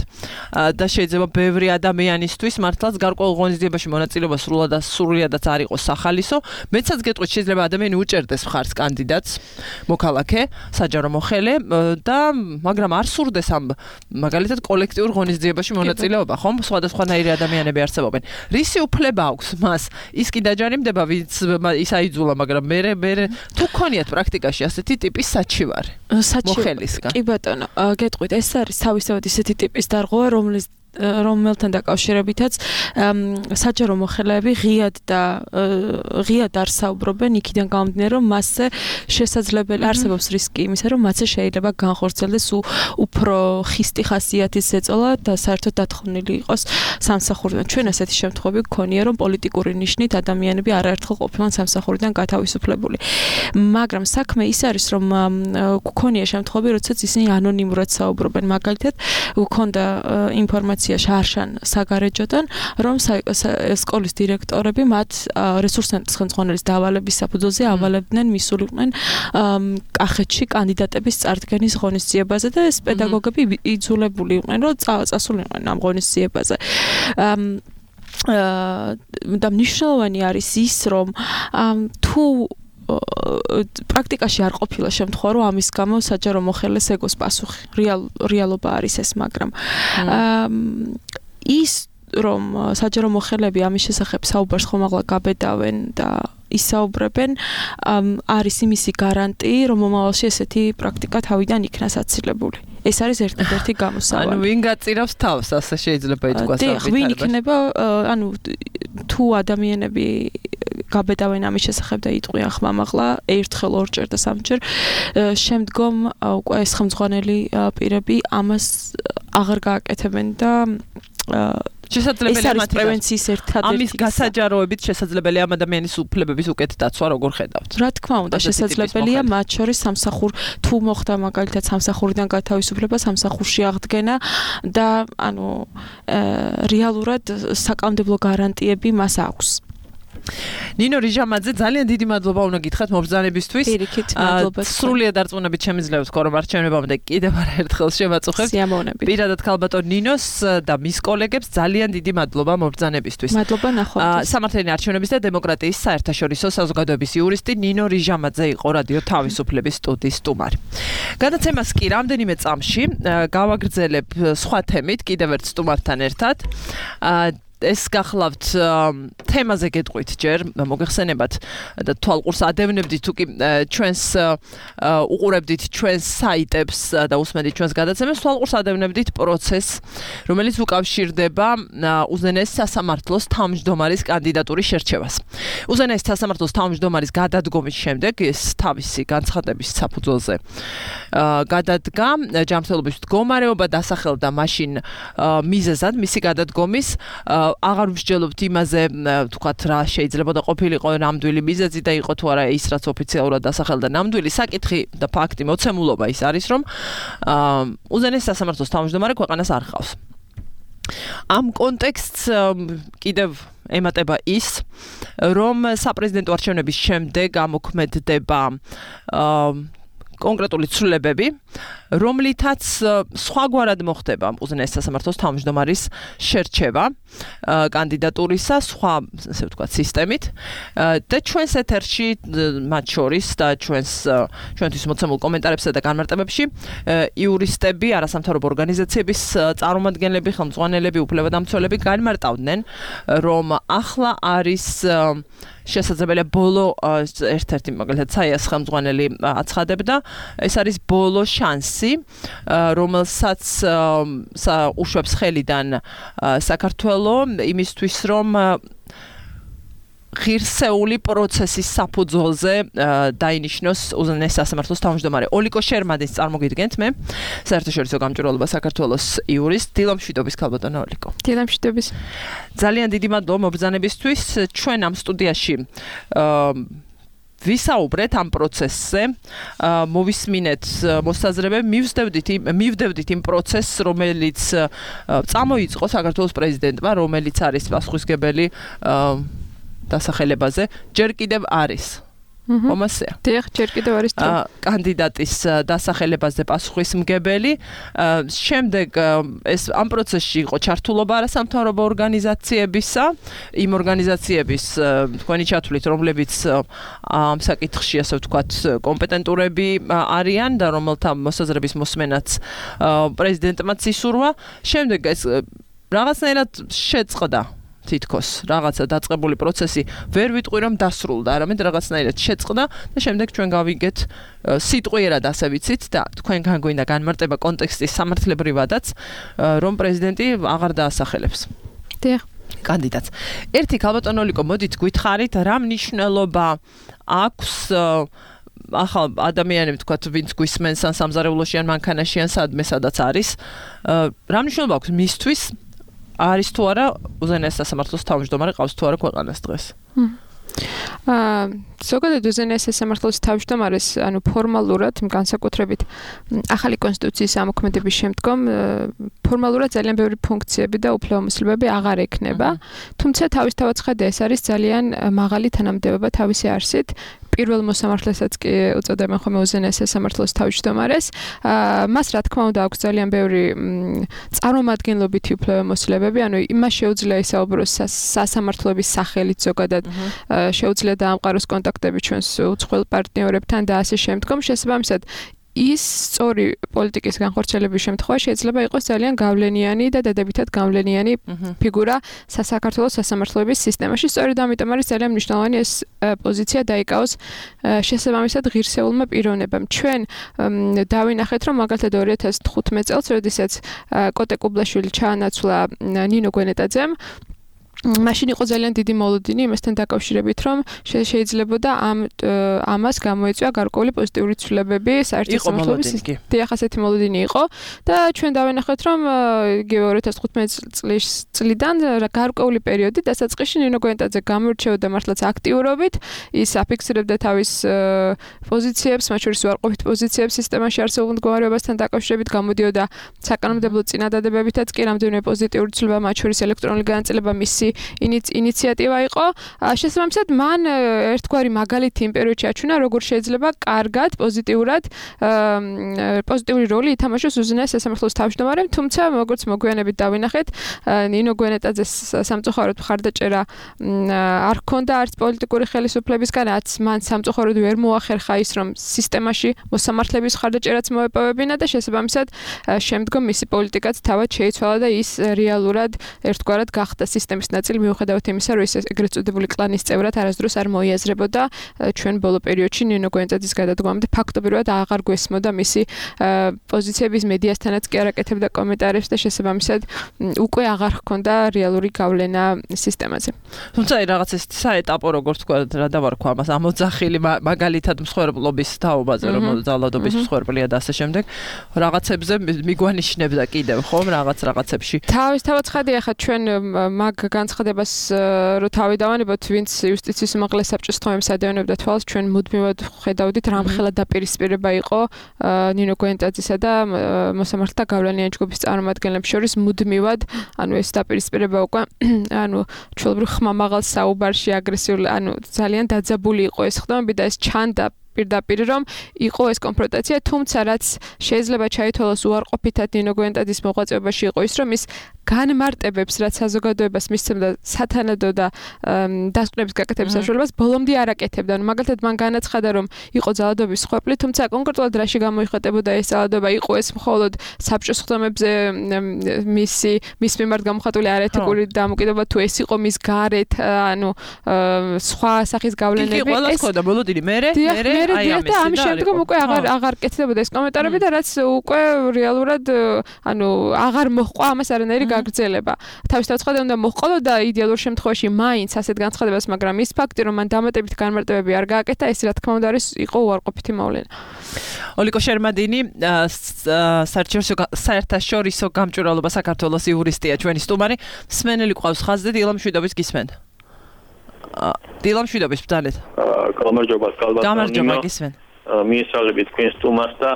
და შეიძლება ბევრი ადამიანისთვის მართლაც გარკვეულ ღონისძიებაში მონაწილეობა სრულიადაც არ იყოს სახალისო. მეცაც გეტყვით, შეიძლება ადამიანი უჭერდეს მხარს კანდიდატს, მოქალაქე, საჯარო მოხელე და მაგრამ არ სურდეს ამ მაგალითად კოლექტიურ ღონისძიებაში მონაწილეობა, ხომ? სხვადასხვანაირი ადამიანები არსებობენ. რისი უფლება აქვს მას? ის კი დაჯარიმდება, ვინც ის აიძულა, მაგრამ მე თუ გქონიათ პრაქტიკაში ასეთი ტიპის საჩივარი მოხელისგან. კი ბატონო, გეტყვით, ეს არის თავისთავად ისეთი ტიპის დარღვევა, რომელთან დაკავშირებითაც საჯარო მოხელეები ღიად არ საუბრობენ იქიდან გამომდინარე, რომ მასზე შესაძლებელი არსებობს რისკი იმისა, რომ მათზე შეიძლება განხორციელდეს უფრო ხისტი ხასიათის ზეწოლა და საერთოდ დათხოვნილი იყოს სამსახურიდან. ჩვენ ასეთი შემთხვევები გქონია, რომ პოლიტიკური ნიშნით ადამიანები არაერთხელ ყოფილან სამსახურიდან გათავისუფლებული. მაგრამ საქმე ის არის, რომ გქონია შემთხვევები, როდესაც ისინი ანონიმურად საუბრობენ. მაგალითად, გქონდა ინფორმაცია შარშან საგარეჯოდან, რომ სკოლის დირექტორები მათ რესურსცენტრის ხელმძღვანელის დავალების საფუძველზე ავალებდნენ, მისულიყვნენ კახეთში კანდიდატების წარდგენის ღონისძიებაზე და ეს პედაგოგები იძულებული იყვნენ, რომ წასულიყვნენ ამ ღონისძიებაზე. და მნიშვნელოვანი არის ის, რომ თუ პრაქტიკაში არ ყოფილა შემთხვევა, რომ ამის გამო საჯარო მოხელეს ეგოს პასუხი. რეალობა არის ეს, მაგრამ ის რომ საჯარო მოხელები ამის შესახებ საუბარს ხომაღლა გაბედავენ და ისაუბრებენ, არის იმისი გარანტი, რომ მომავალში ესეთი პრაქტიკა თავიდან იქნას აცილებული. ეს არის ერთ-ერთი გამოსავალი. ანუ ვინ გაწირავს თავს, ასე შეიძლება ითქვას. ვინ იქნება, თუ ადამიანები გაბედავენ ამის შესახებ და იტყვიან ხმამაღლა ერთხელ, ორჯერ და სამჯერ, შემდგომ უკვე ეს ხელმძღვანელი პირები ამას აღარ გააკეთებენ და შესაძლებელია ამის პრევენციის ერთადერთი ამის გასაჯაროებით შესაძლებელია ამ ადამიანის უფლებების უკეთ დაცვა, როგორ ხედავთ? რა თქმა უნდა, შესაძლებელია მათ შორის თუ მოხდა მაგალითად სამსახურიდან გათავისუფლება, სამსახურში აღდგენა და რეალურად საკანონმდებლო გარანტიები მას აქვს. ნინო რიჟამაძე, ძალიან დიდი მადლობა უნდა გითხრათ მობრძანებისთვის. პირიქით, მადლობა. სრულიად დარწმუნებით შემიძლია ვთქვა, რომ არჩევნებამდე კიდევ არაერთხელ შევაწუხებთ. სიამოვნებით. პირადად ქალბატონ ნინოს და მის კოლეგებს ძალიან დიდი მადლობა მობრძანებისთვის. მადლობა ნახვამდის. სამართლიანი არჩევნების და დემოკრატიის საერთაშორისო საზოგადოების იურისტი ნინო რიჟამაძე იყო რადიო თავისუფლების სტუდიის სტუმარი. გადაცემას კი რამდენიმე წამში გავაგრძელებ სხვა თემით, კიდევ ერთ სტუმართან ერთად. ეს გახლავთ თემაზე გეტყვით ჯერ მოგეხსენებათ და თვალყურს ადევნებდით თუ კი ჩვენს უყურებდით ჩვენს საიტებს და უსმენდით ჩვენს გადაცემებს თვალყურს ადევნებდით პროცესს რომელიც უკავშირდება უზენაეს სასამართლოს თავმჯდომარის კანდიდატურის შერჩევას. უზენაეს სასამართლოს თავმჯდომარის გადადგომის შემდეგ ეს თავისი განცხადების საფუძველზე გადადგა ჯანმრთელობის მდგომარეობა დასახელდა მაშინ მიზეზად მისი გადადგომის აღარ ვსჯელობთ იმაზე თქვათ რა შეიძლება და ყოფილიყო ნამდვილი მიზეზი და იყო თუ არა ის რაც ოფიციალურად დასახელდა ნამდვილი საკითხი და ფაქტი მოცემულობა ის არის რომ უზენაეს სასამართლოს თავმჯდომარე ქვეყანას არ ხავს. ამ კონტექსტს კიდევ ემატება ის რომ საპრეზიდენტო არჩევნების შემდეგ ამოქმედდება კონკრეტული ცვლილებები რომლითაც სხვაგვარად მოხდება უზენაეს სასამართლოს თავმჯდომარის შერჩევა კანდიდატურისა სხვა ასე ვთქვათ სისტემით და ჩვენს ეთერში მათ შორის და ჩვენთვის მოცემულ კომენტარებსა და განმარტებებში იურისტები, არასამთავრობო ორგანიზაციების წარმომადგენლები, ხელმძღვანელები, უფლებადამცველები განმარტავდნენ რომ ახლა არის შესაძლებელია ბოლო ერთ-ერთი მაგალითად საიას ხელმძღვანელი აცხადებდა ეს არის ბოლო შანსი რომელსაც უშვებს ხელიდან საქართველო იმისთვის რომ ღირსეული პროცესის საფუძველზე დაინიშნოს უზენაეს სასამართლოს თავმჯდომარე. ოლიკო შერმანის წარმოგიდგენთ მე საერთაშორისო გამჭვირვალობა საქართველოს იურისტ დილამშვიდობის ქალბატონო ოლიკო. დილამშვიდობის. ძალიან დიდი მადლობა მობრძანებისთვის. ჩვენ ამ სტუდიაში ვისაუბრეთ ამ პროცესზე, მოვისმინეთ მოსაზრებები, მივდევდით იმ პროცესს, რომელიც წამოიწყო საქართველოს პრეზიდენტმა, რომელიც არის პასუხისმგებელი დასახელებაზე, ჯერ კიდევ არის. ხომასეა. დიახ, ჯერ კიდევ არის კანდიდატის დასახელებაზე პასუხისმგებელი. შემდეგ ეს ამ პროცესში იყო ჩართულობა არასამთავრობო ორგანიზაციებისა, იმ ორგანიზაციების თქვენი ჩათვლით, რომლებიც ამ საკითხში ასე ვთქვათ კომპეტენტურები არიან და რომელთა მოსაზრების მოსმენაც პრეზიდენტმაც ისურვა. შემდეგ ეს რაღაცნაირად შეწყდა თითქოს რაღაცა დაწყებული პროცესი ვერ ვიტყვი რომ დასრულდა, არამედ რაღაცნაირად შეწყდა და შემდეგ ჩვენ გავიგეთ სიტყვიერად ასე ვიცით და თქვენგან გვინდა განმარტება კონტექსტის სამართლებრივადაც რომ პრეზიდენტი აღარ დაასახელებს. დიახ. კანდიდატს. ერთი ქალბატონო ოლიკო, მოდით გითხარით რა მნიშვნელობა აქვს ახალ ადამიანები თქვათ ვინც გვისმენს ან სამზარეულოში ან მანქანაში ან სადაც არის რა მნიშვნელობა აქვს მისთვის არის თუ არა უზენაეს სასამართლოს თავმჯდომარე ყავს თუ არა ქვეყანას დღეს? ზოგადად უზენაეს სასამართლოს თავმჯდომარეს ანუ ფორმალურად განსაკუთრებით ახალი კონსტიტუციის ამოქმედების შემდგომ ფორმალურად ძალიან ბევრი ფუნქციები და უფლებამოსილებები აღარ ექნება, თუმცა თავისთავად ხედა ეს არის ძალიან მაღალი თანამდებობა თავისი არსით. პირველ მოსამართლესაც კი უწოდებენ ხოლმე უზენაეს სასამართლოს თავმჯდომარეს. მას რა თქმა უნდა აქვს ძალიან ბევრი წარმომადგენლობითი უფლებამოსილებები, ანუ იმას შეუძლია ისაუბროს სასამართლოების სახელით ზოგადად შეუძლია დაამყაროს კონტაქტები ჩვენს უცხოელ პარტნიორებთან და ასე შემდგომ. შესაბამისად ის სწორი პოლიტიკის განხორციელების შემთხვევაში შეიძლება იყოს ძალიან გავლენიანი და დადებითად გავლენიანი ფიგურა საქართველოს სასამართლოების სისტემაში. სწორედ ამიტომ არის ძალიან მნიშვნელოვანი ეს პოზიცია დაიკავოს შესაბამისად ღირსეულმა პიროვნებამ. ჩვენ დავინახეთ, რომ მაგალითად 2015 წელს, როდესაც კოტე კუბლაშვილი ჩაანაცვლა ნინო გვენეტაძემ, მაშინ იყო ძალიან დიდი მოლოდინი იმასთან დაკავშირებით, რომ შეიძლებოდა ამას გამოეწვია გარკვეული პოზიტიური ცვლილებები საერთო სამართლობის დიახ, ასეთი მოლოდინი იყო და ჩვენ დავინახეთ, რომ 2015 წლიდან გარკვეული პერიოდი დასაწყისში ნინო გვენეტაძე გამოირჩეოდა მართლაც აქტიურობით, ის აფიქსირებდა თავის პოზიციებს, მათ შორის უარყოფით პოზიციებს სისტემაში არსებულ მდგომარეობასთან დაკავშირებით, გამოდიოდა საკანონმდებლო წინადადებებითაც კი რამდენიმე პოზიტიური ცვლილება, მათ შორის ელექტრონული განაწილება მისი ინიციატივა იყო. შესაბამისად, მან ერთგვარი მაგალითი იმ პერიოდში აჩვენა, როგორ შეიძლება კარგად, პოზიტიური როლი ითამაშოს უზენაეს სასამართლოს თავმჯდომარემ, თუმცა როგორც მოგვიანებით დავინახეთ, ნინო გვენეტაძეს სამწუხაროდ მხარდაჭერა არ ჰქონდა არც პოლიტიკური ხელისუფლებისგან, რაც მან სამწუხაროდ ვერ მოახერხა ის, რომ სისტემაში მოსამართლეების მხარდაჭერაც მოეპოვებინა და შესაბამისად შემდგომ მისი პოლიტიკაც თავად შეიცვალა და ის რეალურად ერთგვარად გახდა სისტემის ნაწილი, მიუხედავად იმისა, რომ ის ეგრეთ წოდებული კლანის წევრად არასდროს არ მოიაზრებოდა ჩვენ ბოლო პერიოდში ნინო გვენეტაძის გადადგომამდე ფაქტობრივად აღარ გვესმოდა მისი პოზიციების მედიასთანაც კი არ აკეთებდა კომენტარებს და შესაბამისად უკვე აღარ ჰქონდა რეალური გავლენა სისტემაზე. თუმცა რაღაც ეს საეტაპო როგორც თქვა რა დავარქვა ამას ამოძახილი მაგალითად მსხვერპლობის თაობაზე რომ ძალადობის მსხვერპლია და ასე შემდეგ რაღაცებზე მიგვანიშნებდა კიდევ ხომ რაღაცებში თავად ცხადია ხა ჩვენ მაგ განცხადებას რო თავი დავანებოთ ვინც იუსტიციის უმაღლეს საბჭოს თქმებს ადევნებდა თვალს ჩვენ მუდმივად ხედავდით რამხელა დაპირისპირება იყო ნინო გვენეტაძისა და მოსამართლეთა გავლენიანი ჯგუფის წარმომადგენლებს შორის მუდმივად ანუ ეს დაპირისპირება უკვე ანუ ჩვეულებრივ ხმამაღალ საუბარში აგრესიული ანუ ძალიან დაძაბული იყო ეს ხდომები და ეს ჩანდა პირდაპირ რომ იყო ეს კონფრონტაცია, თუმცა რაც შეიძლება ჩაითვალოს უარყოფითად ნინო გვენეტაძის მოღვაწეობაში იყო ის, რომ ის განმარტებებს, რაც საზოგადოებას მისცემდა სათანადო და დასკვნების გაკეთების საშუალებას, ბოლომდე არ აკეთებდა. მაგალითად, მან განაცხადა, რომ იყო ძალადობის მსხვერპლი, თუმცა კონკრეტულად რაში გამოიხატებოდა ეს ძალადობა, იყო ეს მხოლოდ საბჭოს ხდომებზე მის მიმართ გამოხატული არაეთიკური დამოკიდებულება, თუ ეს იყო მის გარეთ, ანუ სხვა სახის გავლენები. ეს ხო და ბოლოდინი მერე და ამ შემდგომ უკვე აღარ კეთდებოდა ეს კომენტარები და რაც უკვე რეალურად ანუ აღარ მოჰყვა ამას არანაირი გაგრძელება. თავისთავად ცხადა უნდა მოჰყოლოდა იდეალურ შემთხვევაში მაინც ასეთ განცხადებას, მაგრამ ის ფაქტი რომ მან დამატებით განმარტებები არ გააკეთა, ეს რა თქმა უნდა იყო უარყოფითი მოვლენა. ოლიკო შერმადინი საერთაშორისო გამჭვირვალობა საქართველოს იურისტია ჩვენი სტუმარი. მსმენელი ყავს ხაზზე დილა მშვიდობის გისმენ. დილა მშვიდობის ბრძანეთ. გამარჯობა კალბატონი. გამარჯობა გისმენ. მიესალმებით თქვენ სტუმარს და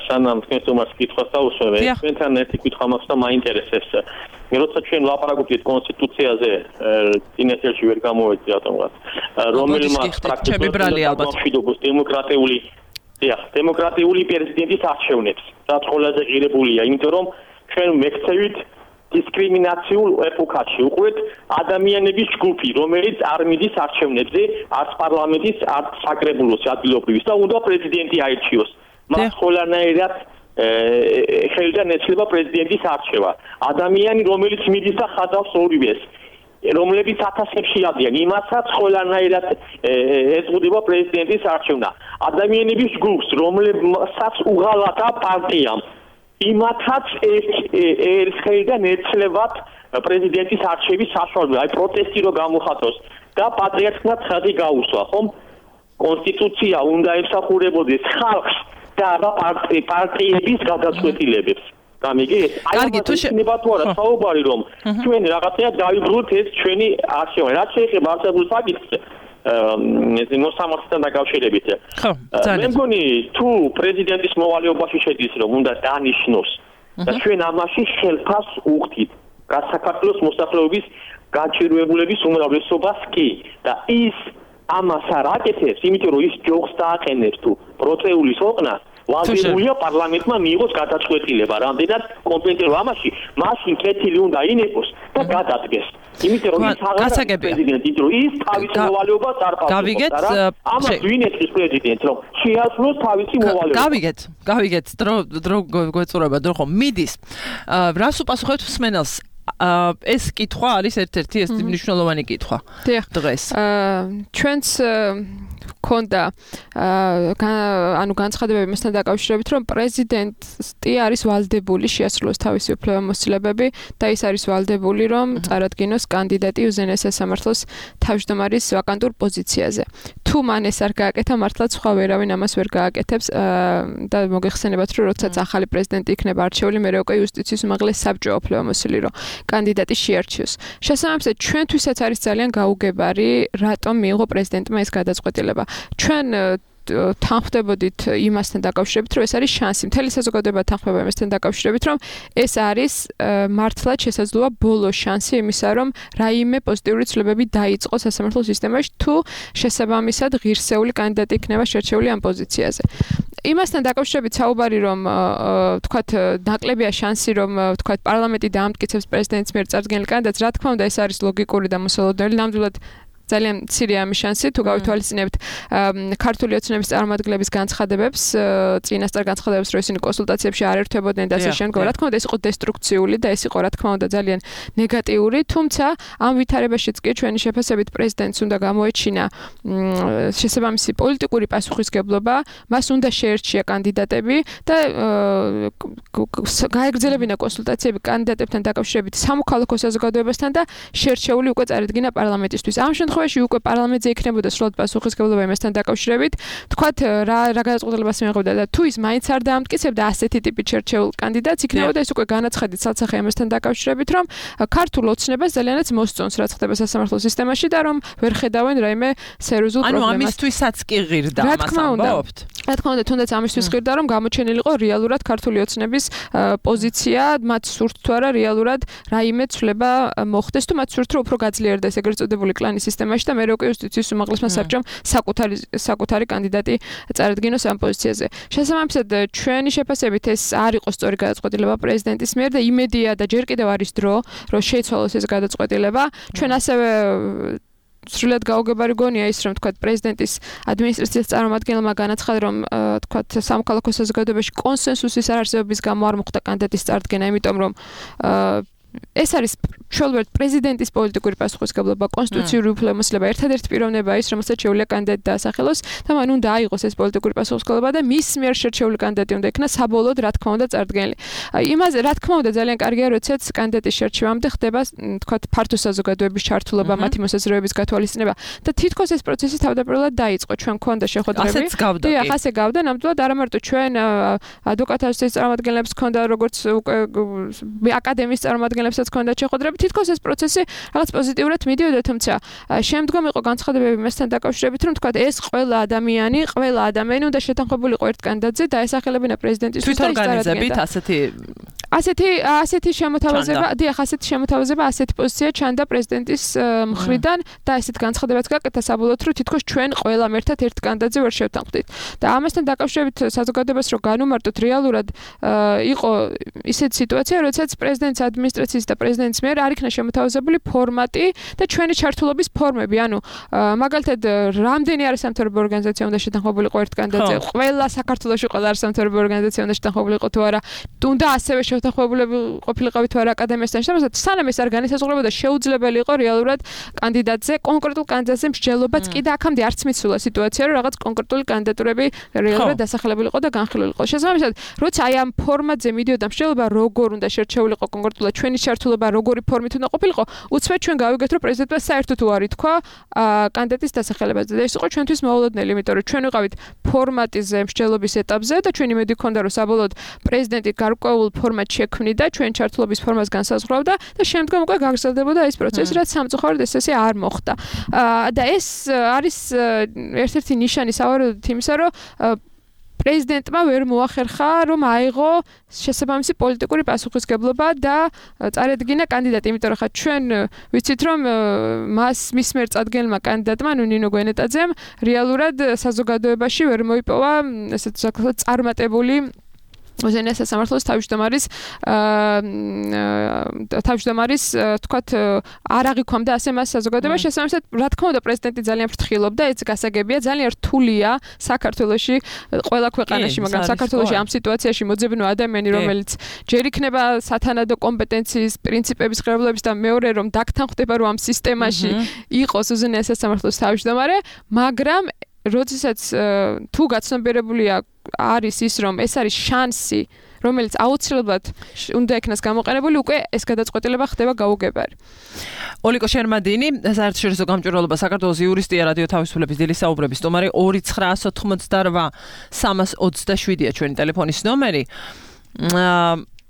სანამ თქვენ სტუმარს კითხვას დავუსვევ, თქვენთან ერთი კითხვა მაქვს და მაინტერესებს. როცა ჩვენ ლაპარაკობთ კონსტიტუციაზე, წინასწარში ვერ გამოვედი რატომღაც. რომელმაც პრაქტიკულად მშვიდობს დემოკრატიული პრეზიდენტის არჩევნებს. რაც ყველაზე ღირებულია, იმიტომ რომ ჩვენ მექცევით დისკრიმინაციულ ეპოქაში უყურეთ ადამიანების ჯგუფი, რომელიც არ მიდის არჩევნებზე, არც პარლამენტის, არც საკრებულოს ადგილობრივის და უნდა პრეზიდენტი აირჩიოს. მას ხოლანაირად ხელიდან ეცლება პრეზიდენტის არჩევა. ადამიანი, რომელიც მიდის და ხადავს ორივეს, რომლებიც ათასებში ადიან, იმასაც ხოლანაირად ეწოდება პრეზიდენტის არჩევნა. ადამიანების ჯგუფს, რომლებსაც უღალატა პარტიამ იმათაც ხელიდან ეცლებათ პრეზიდენტის არჩევის საშუალება, აი პროტესტი რო გამოხატოს და პატრიარქმა ცხადი გაუსვა, ხომ? კონსტიტუცია უნდა ემსახურებოდეს ხალხს და პარტიების გადაწყვეტილებებს. გამიგეთ? კარგი, თუ შეიძლება თუ არა საუბარი რომ ჩვენ რაღაცა დაიბრუნოთ ეს ჩვენი არჩევანი. რაც შეეხება არსებულ საკითხს მოსამართლეთან დაკავშირებით. მე მგონი თუ პრეზიდენტის მოვალეობაში შედის რომ უნდა დანიშნოს და ჩვენ ამაში ხელფას უხდით საქართველოს მოსახლეობის გაჩერებულების უმრავლესობას კი და ის ამას არ აკეთებს, იმიტომ რომ ის ჯოხს დააყენებს თუ პროცეულის ოყნას ვაჟებულია პარლამენტმა მიიღოს გადაწყვეტილება, რამდენად კომპეტენტური ამაში, მაშინ კეთილი უნდა ინებოს და გადადგეს. იმიტომ რომ ის აღარ პრეზიდენტი, რომ ის თავის მოვალეობას არ პასუხობს. ამას ვინეთის პრეზიდენტს, რომ შეასრულოს თავისი მოვალეობა. გავიგეთ, დრო გვეწურება, დრო ხომ მიდის. რას უპასუხებთ მსმენელს? ეს კითხვა არის ერთ-ერთი ეს მნიშვნელოვანი კითხვა დღეს. ჩვენც ქონდა ანუ განცხადებები მასთან დაკავშირებით, რომ პრეზიდენტი არის ვალდებული შეასრულოს თავისი უფლებამოსილებები და ის არის ვალდებული, რომ წარადგინოს კანდიდატი უზენაეს სასამართლოს თავმჯდომარის ვაკანტურ პოზიციაზე. თუ მან ეს არ გააკეთა, მართლაც სხვა ვერავინ ამას ვერ გააკეთებს და მოგეხსენებათ, რომ როდესაც ახალი პრეზიდენტი იქნება არჩეული, მერე უკვე იუსტიციის უმაღლეს საბჭო უფლებამოსილი, რომ კანდიდატი შეარჩიოს. შესაბამისად, ჩვენთვისაც არის ძალიან გაუგებარი, რატომ მიიღო პრეზიდენტმა ეს გადაწყვეტილება. ჩვენ თანხმდებოდით იმასთან დაკავშირებით, რომ ეს არის შანსი. მთელი საზოგადოება თანხმდება იმასთან დაკავშირებით, რომ ეს არის მართლაც შესაძლოა ბოლო შანსი იმისა, რომ რაიმე პოზიტიური ცვლილებები დაიწყოს სასამართლო სისტემაში, თუ შესაბამისად ღირსეული კანდიდატი იქნება შერჩეული ამ პოზიციაზე. იმასთან დაკავშირებით საუბარი, რომ თქვათ ნაკლებია შანსი, რომ თქვათ პარლამენტი დაამტკიცებს პრეზიდენტის მიერ წარდგენილ კანდიდატს, რა თქმა უნდა, ეს არის ლოგიკური და მოსალოდნელი. ნამდვილად ძალიან მცირეა ამის შანსი, თუ გავითვალისწინებთ ქართული ოცნების წარმომადგენლების განცხადებებს, წინასწარ განცხადებებს, რომ ისინი კონსულტაციებში არ ერთვებოდნენ და ასე შემდგომ. რა თქმა უნდა, ეს იყო დესტრუქციული და ეს იყო რა თქმა უნდა ძალიან ნეგატიური, თუმცა ამ ვითარებაშიც კი ჩვენი შეფასებით პრეზიდენტს უნდა გამოეჩინა შესაბამისი პოლიტიკური პასუხისგებლობა, მას უნდა შეერჩია კანდიდატები და გაეგრძელებინა კონსულტაციები კანდიდატებთან დაკავშირებით სამოქალაქო საზოგადოებასთან და შერჩეული უკვე წარედგინა პარლამენტისთვის. ამ შემთხვევაში უკვე პარლამენტზე იქნებოდა სრულად პასუხისგებლობა იმასთან დაკავშირებით, თქვათ რა გადაწყვეტილებას მიიღებდა და თუ ის მაინც არ დაამტკიცებდა ასეთი ტიპის შერჩეულ კანდიდატს, იქნებოდა ეს უკვე განაცხადი ცალსახე იმასთან დაკავშირებით, რომ ქართულ ოცნებას ძალიანაც მოსწონს რაც ხდება სასამართლო სისტემაში და რომ ვერ ხედავენ რაიმე სერიოზულ პრობლემას. ანუ ამისთვისაც კი ღირდა ამას ამბობთ. რა თქმა უნდა, თუნდაც ამისთვის ღირდა, რომ გამოჩენილიყო რეალურად ქართული ოცნების პოზიცია, მათ სურთ თუ არა რეალურად რაიმე ცვლილება მოხდეს თუ მათ სურთ რომ უფრო გაძლიერდეს ეგრეთ წოდებული კლანის სისტემაში და მე რო კი იუსტიციის უმაღლესმა საბჭომ საკუთარი კანდიდატი წარადგინოს ამ პოზიციაზე. შესაბამისად, ჩვენი შეფასებით ეს არ იყო სწორი გადაწყვეტილება პრეზიდენტის მიერ და იმედია და ჯერ კიდევ არის დრო, რომ შეიცვალოს ეს გადაწყვეტილება. ჩვენ ასევე სრულად გაუგებარი გონია ის, რომ თქვათ პრეზიდენტის ადმინისტრაციის წარმომადგენელმა განაცხადა, რომ თქვათ სამოქალაქო საზოგადოებაში კონსენსუსის არარსებობის გამო არ მოხდა კანდიდატის წარდგენა, იმიტომ რომ ეს არის ჩვეულებრივ პრეზიდენტის პოლიტიკური პასუხისგებლობა, კონსტიტუციური უფლებამოსილება, ერთადერთი პიროვნება ის, რომელსაც შეუძლია კანდიდატი დაასახელოს და მან უნდა აიღოს ეს პოლიტიკური პასუხისგებლობა და მის მიერ შერჩეული კანდიდატი უნდა იქნას საბოლოოდ, რა თქმა უნდა, წარდგენილი. იმაზე, რა თქმა უნდა, ძალიან კარგია, როდესაც კანდიდატის შერჩევამდე ხდება, თქვათ, ფართო საზოგადოების ჩართულობა, მათი მოსაზრებების გათვალისწინება და თითქოს ეს პროცესი თავდაპირველად დაიწყო. ჩვენ გქონდა შეხვედრები. ასეც გავდა. დიახ, ასე გავდა, ნამდვილად არა მარტო ჩვენ ადვოკატთა ასოციაციის წარმომადგენლებს გქონდა, როგორც უკვე აკადემიის წარმომადგენლებსაც გქონდა შეხვედრები. თითქოს ეს პროცესი რაღაც პოზიტიურად მიდიოდა, თუმცა შემდგომ იყო განცხადებები მასთან დაკავშირებით, რომ თქვა ეს ყველა ადამიანი უნდა შეთანხმებულიყო ერთ კანდიდატზე და ესახელებინა პრეზიდენტისთვის და თვითორგანიზებით ასეთი შემოთავაზება, დიახ, ასეთი შემოთავაზება, ასეთი პოზიცია ჩანდა პრეზიდენტის მხრიდან და ესეთ განცხადებაც გაკეთა საბოლოოდ, რომ თითქოს ჩვენ ყველამ ერთად ერთ კანდიდატზე ვერ შევთანხმდით. და ამასთან დაკავშირებით საზოგადოებას რო განუმარტოთ, რეალურად იყო ისეთი სიტუაცია, როდესაც პრეზიდენტის ადმინისტრაციის და პრეზიდენტის მიერ არ იქნა შემოთავაზებული ფორმატი და ჩვენი ჩართულობის ფორმები. ანუ მაგალითად, რამდენი არის სამთავრობო ორგანიზაცია უნდა შეთანხმებულიყო ერთ კანდიდატზე, ყველა საქართველოში ყველა არის სამთავრობო ორგანიზაცია უნდა შეთანხმებულიყო თუ არა, თუნდა ასევე შეთანხმებულები ყოფილიყავით თუ არა აკადემიასთან შეთანხმებულად, სანამ ეს არ განისაზღვრებოდა, შეუძლებელი იყო რეალურად კანდიდატზე, კონკრეტულ კანდიდატზე მსჯელობაც კი და აქამდე არც მიცულა სიტუაცია, რომ რაღაც კონკრეტული კანდიდატურები რეალურად დასახელებულიყო და განხილულიყო. შესაბამისად, როცა აი ამ ფორმატზე მიდიოდა მსჯელობა, როგორ უნდა შერჩეულიყო კონკრეტულად ჩვენი ჩართულობა, როგორი ფორმით უნდა ყოფილიყო, უცბად ჩვენ გავიგეთ, რომ პრეზიდენტმა საერთოდ უარი თქვა კანდიდატის დასახელებაზე და ეს იყო ჩვენთვის მოულოდნელი, იმიტომ რომ ჩვენ ვიყავით ფორმატიზე მსჯელობის ეტაპზე და ჩვენი იმედი ჰქონდა, რომ საბოლოოდ პრეზიდენტი გარკვეულ ფორმატს შექმნიდა, ჩვენ ჩართულობის ფორმას განსაზღვრავდა და შემდგომ უკვე გაგრძელდებოდა ეს პროცესი, რაც სამწუხაროდ ესე არ მოხდა. და ეს არის ერთ-ერთი ნიშანი სავარაუდოდ იმისა, რომ პრეზიდენტმა ვერ მოახერხა, რომ აიღო შესაბამისი პოლიტიკური პასუხისგებლობა და წარედგინა კანდიდატი, იმიტომ რომ ხა ჩვენ ვიცით, რომ მის მიერ წარდგენილმა კანდიდატმა, ნინო გვენეტაძემ, რეალურად საზოგადოებაში ვერ მოიპოვა ესეთ წარმატებული ოზენეს სასამართლოს თავმჯდომარის თქვათ არ აღიქვამდა ასე მას საზოგადოებაში. შესაბამისად, რა თქმა უნდა, პრეზიდენტი ძალიან ფრთხილობდა, ეს გასაგებია, ძალიან რთულია საქართველოში, ყველა ქვეყანაში, მაგრამ საქართველოში ამ სიტუაციაში მოძებნო ადამიანი, რომელიც ჯერ იქნება სათანადო კომპეტენციის პრინციპების ღირებულების და მეორე რომ დაგთანხმდება, რომ ამ სისტემაში იყოს ოზენეს სასამართლოს თავმჯდომარე, მაგრამ როდესაც თუ გაცნობიერებულია არის ის, რომ ეს არის შანსი, რომელიც აუცილებლად უნდა იქნას გამოყენებული, უკვე ეს გადაწყვეტილება ხდება გაუგებარი. ოლიკო შერმადინი, საერთაშორისო გამჭვირვალობა საქართველოს იურისტია, რადიო თავისუფლების დილის საუბრების სტუმარი, 2988327-ია ჩვენი ტელეფონის ნომერი.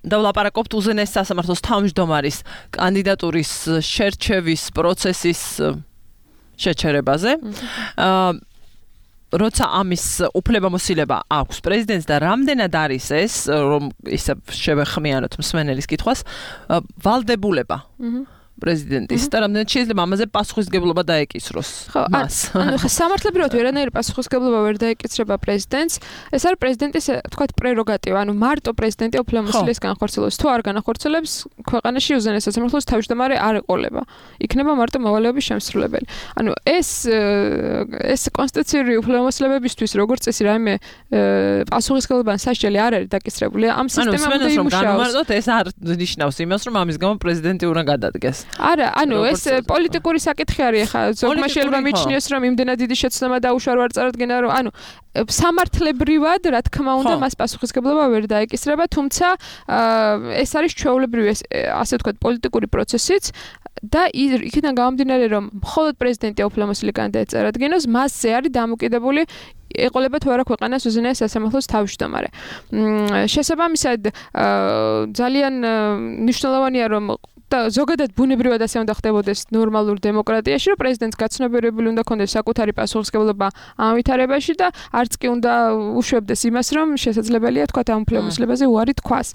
და ვლაპარაკობთ უზენეს სასამართლოს თავმჯდომარის კანდიდატურის შერჩევის პროცესის შეჩერებაზე. როცა ამის უფლებამოსილება აქვს პრეზიდენტს და რამდენად არის ეს, რომ ისე შევეხმიანოთ მსმენელის კითხვას, ვალდებულება პრეზიდენტის და რამდენად შეიძლება ამაზე პასუხისმგებლობა დაეკისროს მას. ანუ სამართლებრივად ვერანაირი პასუხისმგებლობა ვერ დაეკისრება პრეზიდენტს. ეს არის პრეზიდენტის, თქვათ, პრეროგატივა. ანუ მარტო პრეზიდენტი უფლებამოსილების განხორციელებს. თუ არ განახორციელებს, ქვეყანაში უზენაეს სასამართლოს თავმჯდომარე არ ეყოლება. იქნება მარტო მოვალეობის შემსრულებელი. ანუ ეს კონსტიტუციური უფლებამოსილებებისთვის როგორც წესი რაიმე პასუხისმგებლობა სასჯელი არ არის დაკისრებული. ამ სისტემამდე იმუშაოს. განმარტოთ, ეს არ ნიშნავს იმას, რომ ამის გამო პრეზიდენტი უნდა გადადგეს. არა, ანუ ეს პოლიტიკური საკითხი არის ახლა ზოგმა შეიძლება მიჩნიოს რომ იმდენად დიდი შეცდომა დაუშვა არ წარადგენა რომ ანუ სამართლებრივად რა თქმა უნდა მას პასუხისმგებლობა ვერ დაეკისრება თუმცა ეს არის ჩვეულებრივი ასე ვთქვათ პოლიტიკური პროცესიც და იქიდან გამომდინარე რომ მხოლოდ პრეზიდენტი უფლებამოსილი კანდიდატი წარადგენოს მასზე არის დამოკიდებული ეყოლება თუ არა ქვეყანას უზენაეს სასამართლოს თავმჯდომარე. შესაბამისად ძალიან მნიშვნელოვანია რომ და ზოგადად ბუნებრივად ასე უნდა ხდებოდეს ნორმალურ დემოკრატიაში, რომ პრეზიდენტს გაცნობიერებული უნდა ქონდეს საკუთარი პასუხისმგებლობა ამ ვითარებაში და არც კი უნდა უშვებდეს იმას, რომ შესაძლებელია თქვა ამ უფლებამოსილებაზე უარი თქვას.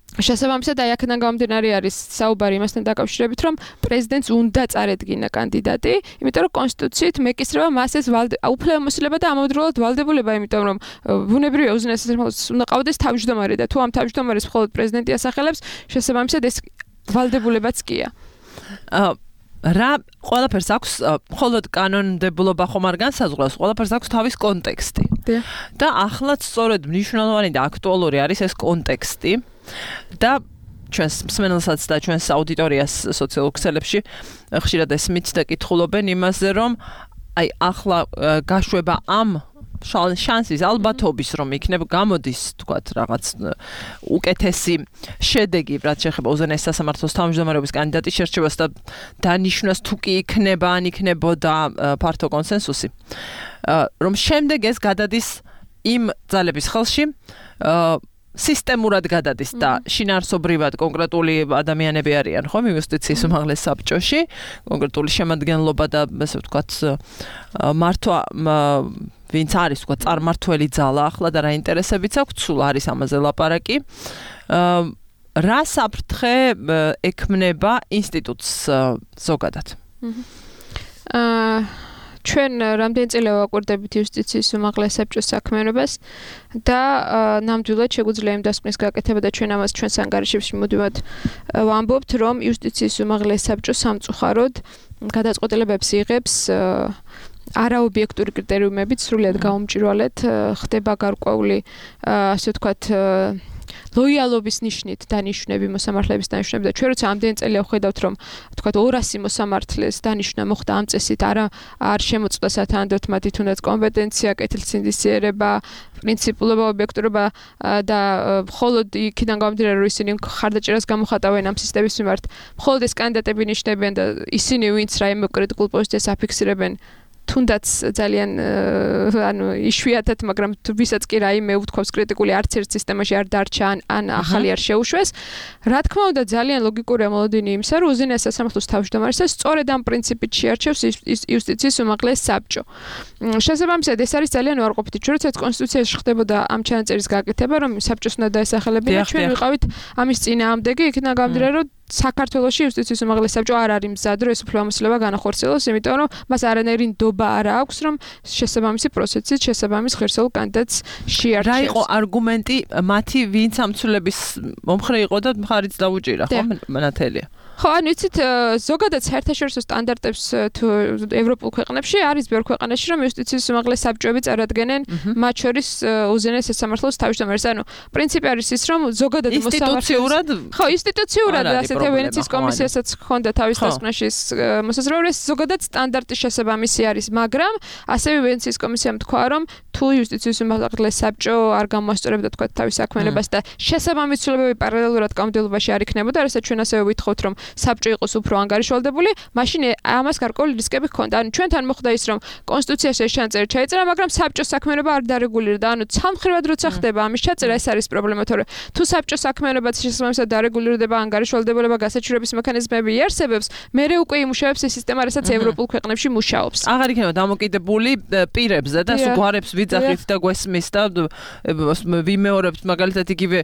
შესაბამისად აი აქედან გამომდინარე არის საუბარი იმასთან დაკავშირებით, რომ პრეზიდენტს უნდა წარედგინა კანდიდატი, იმიტომ რომ კონსტიტუციით მეკისრება მას ეს უფლებამოსილება და ამავდროულად ვალდებულება, იმიტომ რომ ბუნებრივია უზენაეს სასამართლოს უნდა ყავდეს თავმჯდომარე და თუ ამ თავმჯდომარეს მხოლოდ პრეზიდენტი ასახელებს, შესაბამისად ეს ვალდებულებაც კია. რა ყველაფერს აქვს მხოლოდ კანონმდებლობა ხომ არ განსაზღვრავს, ყველაფერს აქვს თავის კონტექსტი. და ახლაც სწორედ მნიშვნელოვანი და აქტუალური არის ეს კონტექსტი. და ჩვენს მსმენელსაც და ჩვენს აუდიტორიას სოციალურ ქსელებში ხშირად ესმით და კითხულობენ იმაზე, რომ აი ახლა გაშვება ამ შანსის ალბათობის რომ იქნება გამოდის თქვათ რაღაც უკეთესი შედეგი რაც შეეხება უზენაეს სასამართლოს თავმჯდომარეობის კანდიდატის შერჩევას და დანიშნას თუ კი იქნება ან იქნებოდა ფართო კონსენსუსი რომ შემდეგ ეს გადადის იმ ძალების ხელში სისტემურად გადადის და შინაარსობრივად კონკრეტული ადამიანები არიან ხომ იუსტიციის უმაღლეს საბჭოში კონკრეტული შემადგენლობა და ასე ვთქვათ მართვა ვინც არის თქვა წარმართველი ძალა ახლა და რა ინტერესებიც აქვს სულ არის ამაზე ლაპარაკი რა საფრთხე ექმნება ინსტიტუტს ზოგადად ჩვენ რამდენი წელი ვაკვირდებით იუსტიციის უმაღლეს საბჭოს საქმიანობას და ნამდვილად შეგვიძლია იმ დასკვნის გაკეთება და ჩვენ ამას ჩვენს ანგარიშებში მუდმივად ვამბობთ რომ იუსტიციის უმაღლეს საბჭო სამწუხაროდ გადაწყვეტილებებს იღებს არაობიექტური კრიტერიუმებით სრულიად გაუმჭირვალედ ხდება გარკვეული ასე ვთქვათ ლოიალობის ნიშნით დანიშნები მოსამართლეების დანიშნები და ჩვენ როცა ამდენი წელია ვხედავთ რომ თქვათ 200 მოსამართლეს დანიშნა მოხდა ამ წესით არ შემოწმდა სათანადოდ მათი თუნდაც კომპეტენცია, კეთილსინდისიერება, პრინციპულობა, ობიექტურობა და მხოლოდ იქიდან გამომდინარე რომ ისინი ხარდაჭერას გამოხატავენ ამ სისტემის მიმართ, მხოლოდ ეს კანდიდატები ნიშნებიან და ისინი ვინც რაიმე კრიტიკულ პოზიციას აფიქსირებენ თუნდაც ძალიან ანუ იშვიათად, მაგრამ ვისაც კი რაიმე უთქვავს კრიტიკული არც ერთ სისტემაში არ დარჩა ან ახალი არ შეუშვეს. რა თქმა უნდა, ძალიან ლოგიკურია მოლოდინი იმისა, რომ უზენაეს სასამართლოს თავმჯდომარეს სწორედ ამ პრინციპით შეარჩევს იუსტიციის უმაღლეს საბჭო. შესაბამისად, ეს არის ძალიან უარყოფითი. ჩვენ როდესაც კონსტიტუციაში ხდებოდა ამ ჩანაწერის გაკეთება, რომ საბჭოს უნდა დაესახელებინა, ჩვენ ვიყავით ამის წინააღმდეგი, იქიდან გამომდინარე, რომ საქართველოში იუსტიციის უმაღლეს საბჭო არ არის მზად, რომ ეს უფლებამოსილება განახორციელოს, იმიტომ რომ მას არანაირი ნდობა არ აქვს, რომ შესაბამისი პროცესით შესაბამის ღირსეულ კანდიდატს შეარჩევს. რა იყო არგუმენტი მათი ვინც ამცვლების მომხრე იყო და მხარიც დაუჭირა, ხო, მანათელია? ხო, ანუ იცით, ზოგადად საერთაშორისო სტანდარტებს თუ ევროპულ ქვეყნებში არის ბევრ ქვეყანაში, რომ იუსტიციის უმაღლეს საბჭოები წარადგენენ, მათ შორის უზენაეს სასამართლოს თავმჯდომარეს. ანუ პრინციპი არის ის, რომ ზოგადად ინსტიტუციურად ხო, ინსტიტუციურად ასეთი ვენეციის კომისიასაც ჰქონდა თავის დასკვნაში მოსაზრება, ეს ზოგადად სტანდარტის შესაბამისი არის, მაგრამ ასევე ვენეციის კომისიამ თქვა, რომ თუ იუსტიციის უმაღლეს საბჭო არ გამოასწორებდა თქვა თავის საქმიანობას და შესაბამისი ცვლილებები პარალელურად კანონმდებლობაში არ იქნებოდა, რასაც ჩვენ ასევე ვითხოვთ, რომ საბჭო იყოს უფრო ანგარიშვალდებული, მაშინ ამას გარკვეული რისკები ჰქონდა. ანუ ჩვენთან მოხდა ის, რომ კონსტიტუციაში ეს ჩანაწერი ჩაიწერა, მაგრამ საბჭოს საქმიანობა არ დარეგულირდა. ანუ ცალმხრივად როცა ხდება ამის ჩაწერა, ეს არის პრობლემა, თორე თუ საბჭოს საქმიანობაც შესაბამისად დარეგულირდება, ანგარიშვალდებულება ხელისუფლება გასაჩივრების მექანიზმები იარსებებს, მერე უკვე იმუშავებს ეს სისტემა, რასაც ევროპულ ქვეყნებში მუშაობს. აღარ იქნება დამოკიდებული პირებზე და სულ გვარებს ვიძახით და გვესმის და ვიმეორებთ მაგალითად იგივე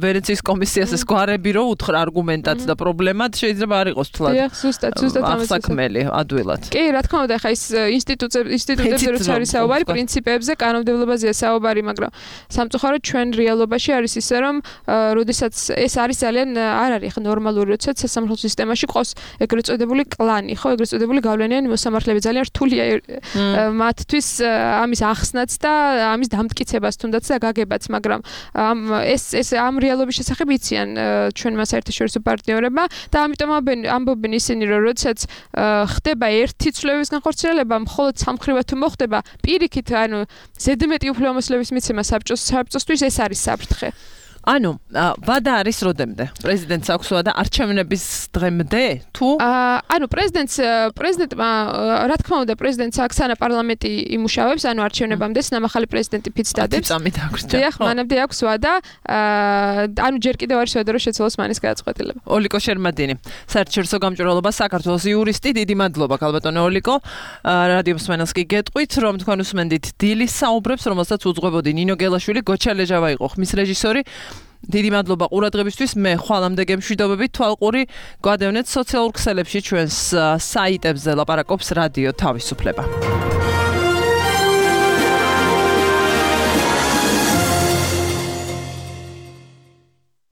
ვენეციის კომისიას ეს გვარები რო უთხრა არგუმენტად და პრობლემად შეიძლება არ იყოს თლად. ზუსტად ამას საქმელი ადვილად. კი, რა თქმა უნდა, ხა ის ინსტიტუტებზე როცა არის საუბარი, პრინციპებზე, კანონმდებლობაზეა საუბარი, მაგრამ სამწუხაროდ ჩვენ რეალობაში არის ისე, რომ როდესაც ეს არის ძალიან არ არის ხა ნორმალური, როდესაც სასამართლო სისტემაში ყავს ეგრეთ წოდებული კლანი, ხო, ეგრეთ წოდებული გავლენიანი მოსამართლეები ძალიან რთულია მათთვის ამის ახსნაც და ამის დამტკიცებას თუნდაც და გაგებაც, მაგრამ ეს ამ რეალობის შესახებ იციან ჩვენმა საერთაშორისო პარტნიორებმა და ამიტომ ამბობენ ისინი, რომ როდესაც ხდება ერთი ცვლილების განხორციელება, მხოლოდ სამხრივად თუ მოხდება, პირიქით, ანუ ზედმეტი უფლებამოსილების მიცემა საბჭოსთვის ეს არის საფრთხე. ანუ ვადა არის როდემდე? პრეზიდენტს აქვს ვადა არჩევნების დღემდე თუ? ანუ პრეზიდენტმა რა თქმა უნდა პრეზიდენტს აქვს ანა პარლამენტი იმუშავებს, ანუ არჩევნებამდე ნამახალი პრეზიდენტი ფიცს დადებს. წამით აღრჩა. დიახ, მანამდე აქვს ვადა. ანუ ჯერ კიდევ არის ვადა, რომ შეცვალოს მანის გადაწყვეტილება. ოლიკო შერმადინი, საერთაშორისო გამჭვირვალობა საქართველოს იურისტი, დიდი მადლობა ქალბატონო ოლიკო. რადიო მსმენელს კი გეტყვით, რომ თქვენ უსმენდით დილის საუბრებს, რომელსაც უძღვებოდი ნინო გელაშვილი, გოჩა ლეჟავა იყო ხმის რეჟისორი. დიდი მადლობა ყურადღებისთვის. მე ხვალამდე გემშვიდობებით. თვალყური გადავნეთ სოციალურ ქსელებში ჩვენს საიტებზე ლაპარაკობს რადიო თავისუფლება.